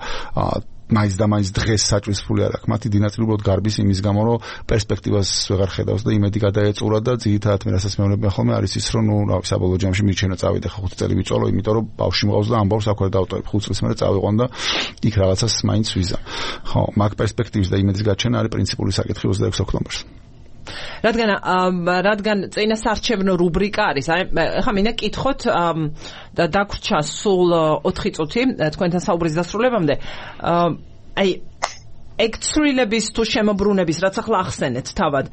Speaker 4: მაინც და მაინც დღეს საჭვის ფული არ აქვს. მათი დინასტიურად გარბის იმის გამო, რომ პერსპექტივას ვეღარ ხედავს და იმედი გადაეწურა და ძირითადად მე რასაც მეუბნებიან ხოლმე არის ის, რომ ნუ რავი საბოლოო ჯამში მიჩვენა წავიდე ხა ხუთი წელი ვიწოლო, იმიტომ რომ ბავშვი მყავს და ამბავს აქ ვერ დავტოვებ. ხუთ წელს მერე წავიყვან და იქ რაღაცას მაინც ვიზა. ხო, მაგ პერსპექტივის და იმედის გაჩენა არის პრინციპული საკითხი ოცდაექვსი ოქტომბერს.
Speaker 1: რადგან რადგან წინასარჩევნო რუბრიკა არის, აი ხა მინდა კითხოთ და დაგვრჩა სულ ოთხი წუთი თქვენთან საუბრის დასრულებამდე. აი ეგ ცვლილების თუ შემოbrunების რაც ახლა ახსენეთ თავად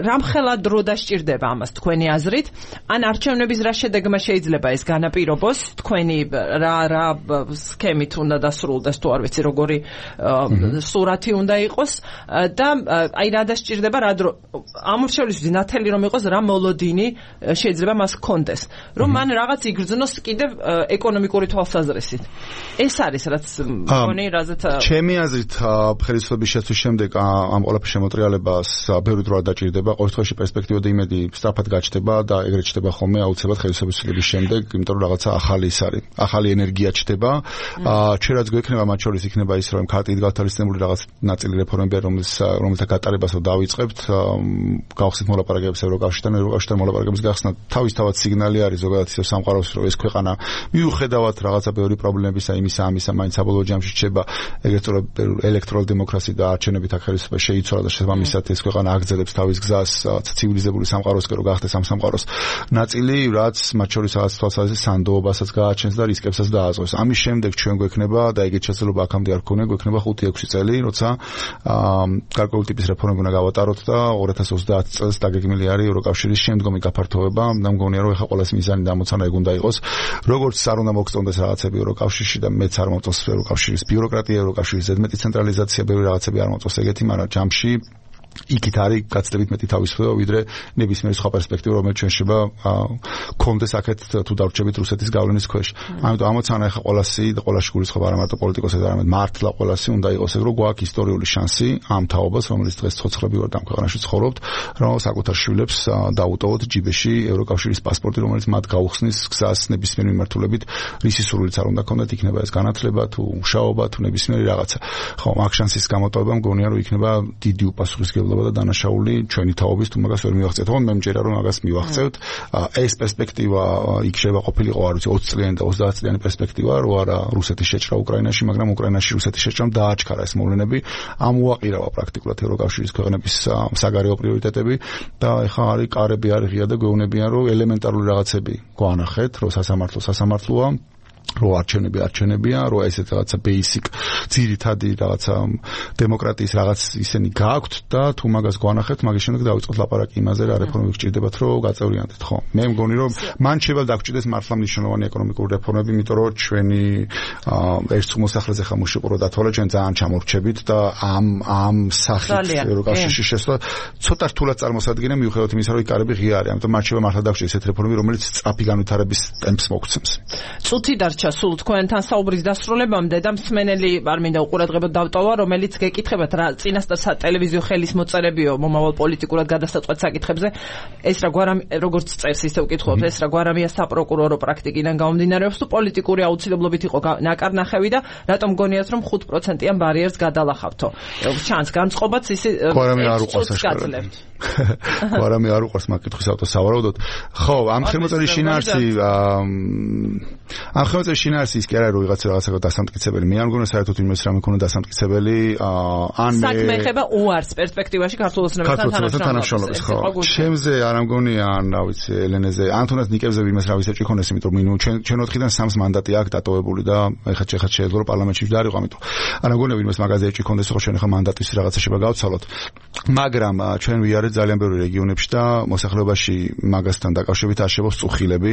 Speaker 1: რამხელა დრო დასჭირდება ამას თქვენი აზრით ან არჩევნების რა შედეგმა შეიძლება ეს განაპირობოს თქვენი რა რა სქემით უნდა დასრულდეს თუ არ ვიცი როგორი სურათი უნდა იყოს და აი რა დასჭირდება რა დრო ამ შემთხვევაში ნათელი რომ იყოს რა მოლოდინი შეიძლება მას ჰქონდეს რომ მან რაღაც იგრძნოს კიდევ ეკონომიკური თვალსაზრისით ეს არის რაც მგონი რაზეც
Speaker 4: ჩემი აზრით ხელისუფლების შეცვლის შემდეგ ამ ყველაფრის შემოტრიალებას ბევრი დრო არ დაჭირდება. ყოველთვის პერსპექტივა და იმედი სწრაფად გაჩნდება და ეგრეთ ჩნდება ხოლმე აუცილებლად ხელისუფლების შეცვლის შემდეგ, იმიტომ რომ რაღაცა ახალი ის არის. ახალი ენერგია ჩნდება. ჩვენ რაც გვექნება მათ შორის იქნება ის, რომ ქარტით გათვალისწინებული რაღაც ნაწილი რეფორმები, რომელიც რომელთა გატარებას რომ დავიწყებთ, გავხსნით მოლაპარაკებებს ევროკავშირთან, ევროკავშირთან მოლაპარაკებების გახსნა თავისთავად სიგნალი არის ზოგადად ისევ სამყაროს, რომ ეს ქვეყანა მიუხედავად რაღაცა ბევრი პრობლემებისა, იმისა, ამისა, მაინც საბოლოო ჯამში რჩება ეგრეთ წოდებული ელექტრონული დემოკრატია და არჩევნებით აქ ხელისუფლება შეიცვალა და შესაბამისად ეს ქვეყანა აგრძელებს თავის გზას ცივილიზებული სამყაროსკენ რომ გახდეს ამ სამყაროს ნაწილი, რაც მათ შორის რაღაც თვალსაზრისით სანდოობასაც გააჩენს და რისკებსაც დააწყვეს. ამის შემდეგ ჩვენ გვექნება და ეგეთ შესაძლებლობა აქამდე არ გქონია, გვექნება ხუთი ექვსი წელი, როცა გარკვეული ტიპის რეფორმები უნდა გავატაროთ და ორი ათას ოცდაათი წელს დაგეგმილი არის ევროკავშირის შემდგომი გაფართოება. და მგონია რომ ეხლა ყოველას მიზანი დამოცანა ეგ უნდა იყოს. როგორც არ უნდა მოგწონდეს რაღაცები ევროკავშირში და მეც არ მომწონს ევროკავშირის ბიუროკრატია, ევროკავშირის ზედმეტი ცენტრალიზაცია, ბევრი რაღაცები არ მომწონს ეგეთი, მაგრამ ჯამში იქით არის გაცდებით მეტი თავისუფლება ვიდრე ნებისმიერი სხვა პერსპექტივა, რომელიც ჩვენ შეიძლება გქონდეს აქეთ თუ დავრჩებით რუსეთის გავლენის ქვეშ. ამიტომ ამოცანა ახლა ყველასი და ყველაში გულისხმობა არა მარტო პოლიტიკოსებს, არამედ მართლა ყველასი უნდა იყოს ეგ, რომ გვაქვს ისტორიული შანსი ამ თაობას, რომელიც დღეს ცოცხლები ვართ ამ ქვეყანაში ცხოვრობთ, რომ საკუთარ შვილებს დაუტოვოთ ჯიბეში ევროკავშირის პასპორტი, რომელიც მათ გაუხსნის გზას ნებისმიერი მიმართულებით, რისი სურვილიც არ უნდა ქონდეთ, იქნება ეს განათლება თუ მუშაობა თუ ნებისმიერი რაღაცა. ხო, აქ შანსის გამოტოვება მგონია რომ იქნება დიდი უპასუხისმგებლობა და დანაშაული ჩვენი თაობის თუ მაგას ვერ მივახცევთ. თუმცა მე მჯერა რომ მაგას მივახცევთ. ეს პერსპექტივა იქ შეიძლება ყოფილიყო არ ვიცი ოცი წლიანი და ოცდაათი წლიანი პერსპექტივა, რო არა რუსეთის შეჭრა უკრაინაში, მაგრამ უკრაინაში რუსეთის შეჭრამ დააჩქარა ეს მოვლენები. ამ უაყირავა პრაქტიკულად ევროკავშირის ქვეყნების საგარეო პრიორიტეტები და ეხლა არის კარები არის ღია და გვეუბნებიან რომ ელემენტარული რაღაცები გვანახეთ, რომ სასამართლო სასამართლოა, რო არჩევნები არჩევნებია, რო ესეთ რაღაცა basic ძირითადი რაღაცა დემოკრატიის რაღაც ისენი გააქვთ და თუ მაგას გვანახებთ, მაგის შემდეგ დავიწყოთ ლაპარაკი იმაზე, რა რეფორმები გჭირდებათ, რომ გაწევრიანდეთ, ხო? მე მგონი, რომ მან შეიძლება დაგჭირდეს მართლა მნიშვნელოვანი ეკონომიკური რეფორმები, იმიტომ რომ ჩვენი ერთ მოსახლეზე ხა მუშაობრო დათვალე, ჩვენ ძალიან ჩამორჩებით და ამ ამ სახით ევროკავშირში შესვლა ცოტა რთულად წარმოსადგინე, მიუხედავად იმისა, რომ იკარები ღია არის. ამიტომ მან შეიძლება მართლა დაგჭირდეს ესეთ რეფორმები, რომელიც სწრაფი განვითარების ტემპს მოგცემს.
Speaker 1: წუთი დარჩა სულ თქვენთან საუბრის დასრულებამდე და მსმენელი არ მინდა უყურადღებოდ დავტოვა, რომელიც გეკითხებათ რა წინასწარ სატელევიზიო ხელის მოწერებიო მომავალ პოლიტიკურად გადასაწყვეტ საკითხებზე. ეს რა გვარამი როგორც წერს ისე ვკითხულობთ, ეს რა გვარამია საპროკურორო პრაქტიკიდან გამომდინარეობს თუ პოლიტიკური აუცილებლობით იყო ნაკარნახევი და რატომ გონიათ რომ ხუთ პროცენტიან ბარიერს გადალახავთო. ჩანს განწყობაც ისე
Speaker 4: გვარამი არ უყვარს აშკარად. გვარამი არ უყვარს მაგითხვის ავტოს სავარაუდოდ. ხო, ამ ხელმოწერის შინაარსი ამ ხელმოწერის შინაარსი ის კი არა რომ ვიღაცა რაღაცა დასამტკიცებელი. მე არ მგონია საერთოდ იმის რამე ქონა დასამტკიცებელი ან მე
Speaker 1: საქმე ეხება უარს პერსპექტივაში ქართულ ოცნებასთან
Speaker 4: თანამშრომლობის. ხო, ჩემზე არ ამგონია ან რა ვიცი ელენეზე ან თუნდაც ნიკებზე ვინმეს რა ვიცი ჭიქონეს, იმიტომ რომ მინიმუმ ჩვენ ჩვენ ოთხიდან სამს მანდატი აქვს დატოვებული და ეხლა ეხლა შეიძლება რომ პარლამენტში ვდარიყო, ამიტომ არ ამგონია ვინმეს მაგაზე ჭიქონდეს, ხო ჩვენ ეხლა მანდატის რაღაცა შეიძლება გავცალოთ. მაგრამ ჩვენ ვიარეთ ძალიან ბევრი რეგიონებში და მოსახლეობაში მაგასთან დაკავშირებით არსებობს წუხილები.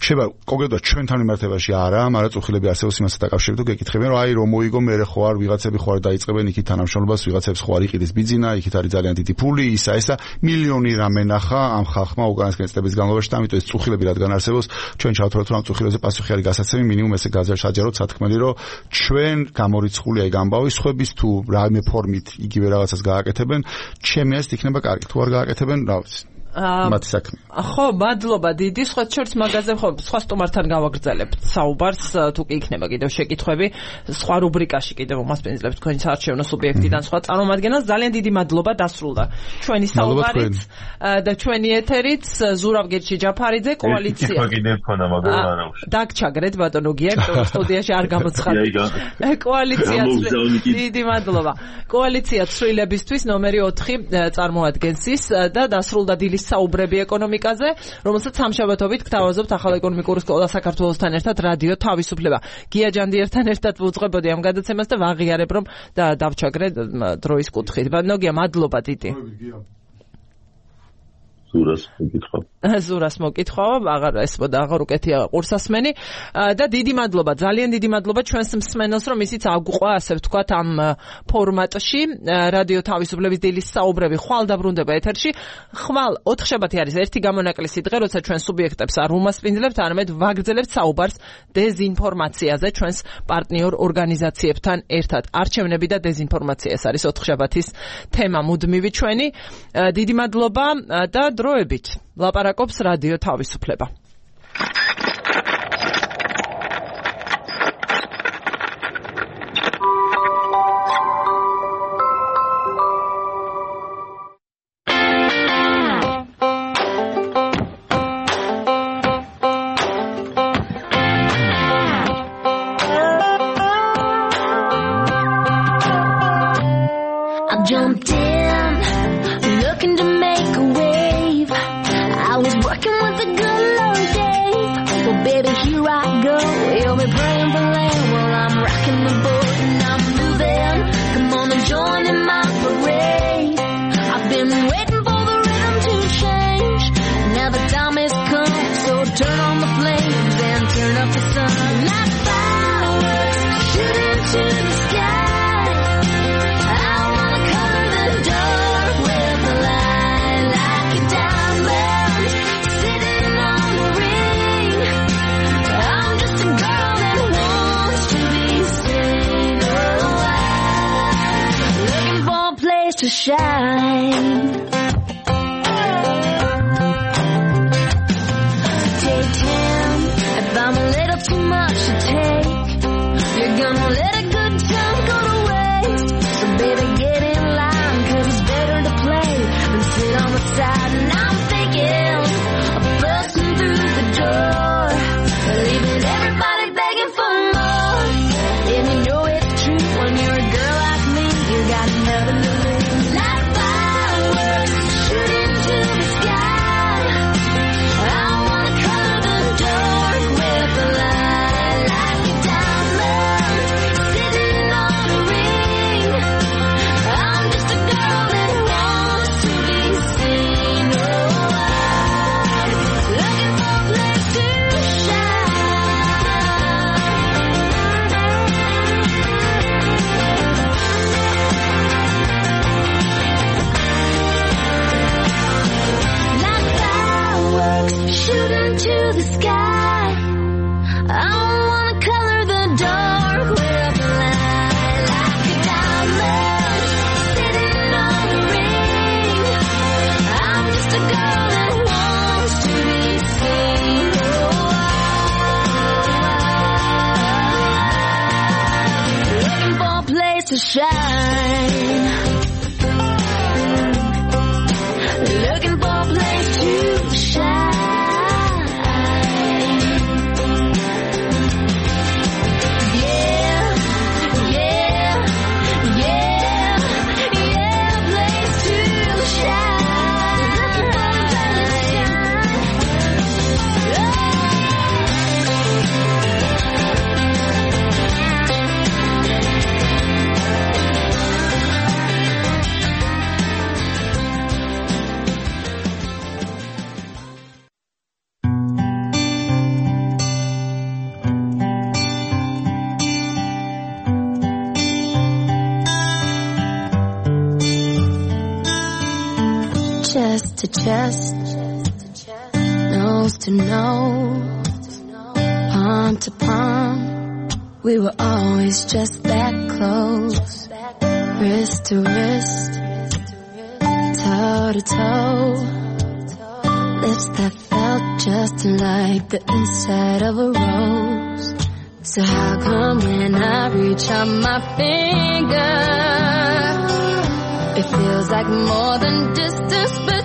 Speaker 4: შეიძლება კონკრეტულად ჩვენთან მიმართებაში არა, მაგრამ წუხილები არსებობს იმასთან დაკავშირებით, თუ გეკითხებიან რომ აი რომ მოიგო მე ხო არ ვიღაცები ხო არ დაიწყებენ იქით თანამშრომლობას, ვიღაცებს ხო არ იყიდეს ბიძინა, იქით არის ძალიან დიდი ფული, ისა ესა მილიონი რამე ნახა ამ ხალხმა უკანასკნელი წლების განმავლობაში და ამიტომ ეს წუხილები რადგან არსებობს, ჩვენ ჩავთვალოთ რომ ამ წუხილებზე პასუხი არის გასაცემი, მინიმუმ ესე გაზარსაჯაროდ სათქმელი რომ ჩვენ გამორიცხულია იქ ამბავი სხვების თუ რამე ფორმით იგივე რაღაცას გააკეთებენ, ჩემი აზრით იქნება კარგი, თუ არ გააკეთებენ, რა ვიცი. მათი საქმე.
Speaker 1: ხო, მადლობა დიდი. სხვა შორს მაგაზე ხო სხვა სტუმართან გავაგრძელებთ საუბარს, თუ კი იქნება კიდევ შეკითხვები, სხვა რუბრიკაში კიდევ მომასპინძლებთ თქვენი საარჩევნო სუბიექტიდან სხვა წარმომადგენელს. ძალიან დიდი მადლობა, დასრულდა ჩვენი საუბარიც და ჩვენი ეთერიც. ზურავ გერჩი-ჯაფარიძე კოალიცია.
Speaker 2: კი, კიდევ ქონა, მაგრამ არა უშ.
Speaker 1: დაგჩაგრეთ ბატონო გია, იმიტომ სტუდიაში არ გამოცხადეთ. კოალიცია. დიდი მადლობა. კოალიცია ცვლილებისთვის ნომერი ოთხი წარმოადგენს ის და დასრულდა დილის საუბრები ეკონომიკაზე, რომელსაც სამშაბათობით გთავაზობთ ახალ ეკონომიკური სკოლა საქართველოსთან ერთად რადიო თავისუფლება. გია ჯანდიერთან ერთად ვუძღვებოდი ამ გადაცემას და ვაღიარებ რომ და დავჩაგრე დროის კუთხით. ნოგია, მადლობა დიდი.
Speaker 2: ზურას მოკითხვა.
Speaker 1: ზურას მოკითხვა, აღარ ესმოდა, აღარ უკეთია ყურსასმენი და დიდი მადლობა, ძალიან დიდი მადლობა ჩვენს მსმენელს, რომ ისიც აგვყვა, ასე ვთქვათ, ამ ფორმატში, რადიო თავისუფლების დილის საუბრები ხვალ დაბრუნდება ეთერში. ხვალ ოთხშაბათი არის ერთი გამონაკლისი დღე, როცა ჩვენ სუბიექტებს არ უმასპინძლებთ, არამედ ვაგრძელებთ საუბარს დეზინფორმაციაზე ჩვენს პარტნიორ ორგანიზაციებთან ერთად. არჩევნები და დეზინფორმაცია ეს არის ოთხშაბათის თემა მუდმივი ჩვენი. დიდი მადლობა და დროებით ლაპარაკობს რადიო თავისუფლება.
Speaker 5: I jumped in, looking to make a wave. I was working with the good Lord Dave. Well, baby, here I go. You'll be praying for rain while I'm rocking the boat and I'm moving. Come on and join in my parade. I've been waiting for the rhythm to change. Now the time has come, so turn on the flames and turn up the sun. Like fireworks shooting to the sky. To shine. Take ten if I'm a little too much to take. You're gonna let a good time go to waste. So baby, get in line, cause it's better to play than sit on the side. And I'm thinking of busting through the door, leaving everybody begging for more. And you know it's true when you're a girl like me, you got nothing to lose. Shooting to the sky. I wanna color the dark with the light, like a diamond sitting on a ring. I'm just a girl that wants to be seen. Oh, I'm looking for a place to shooting to the sky. I don't wanna shine. Looking for a place to shine.
Speaker 6: Chest to chest, nose to nose, palm to palm. We were always just that close, wrist to wrist, toe to toe. Lips that felt just like the inside of a rose. So how come when I reach out my finger, it feels like more than distance, but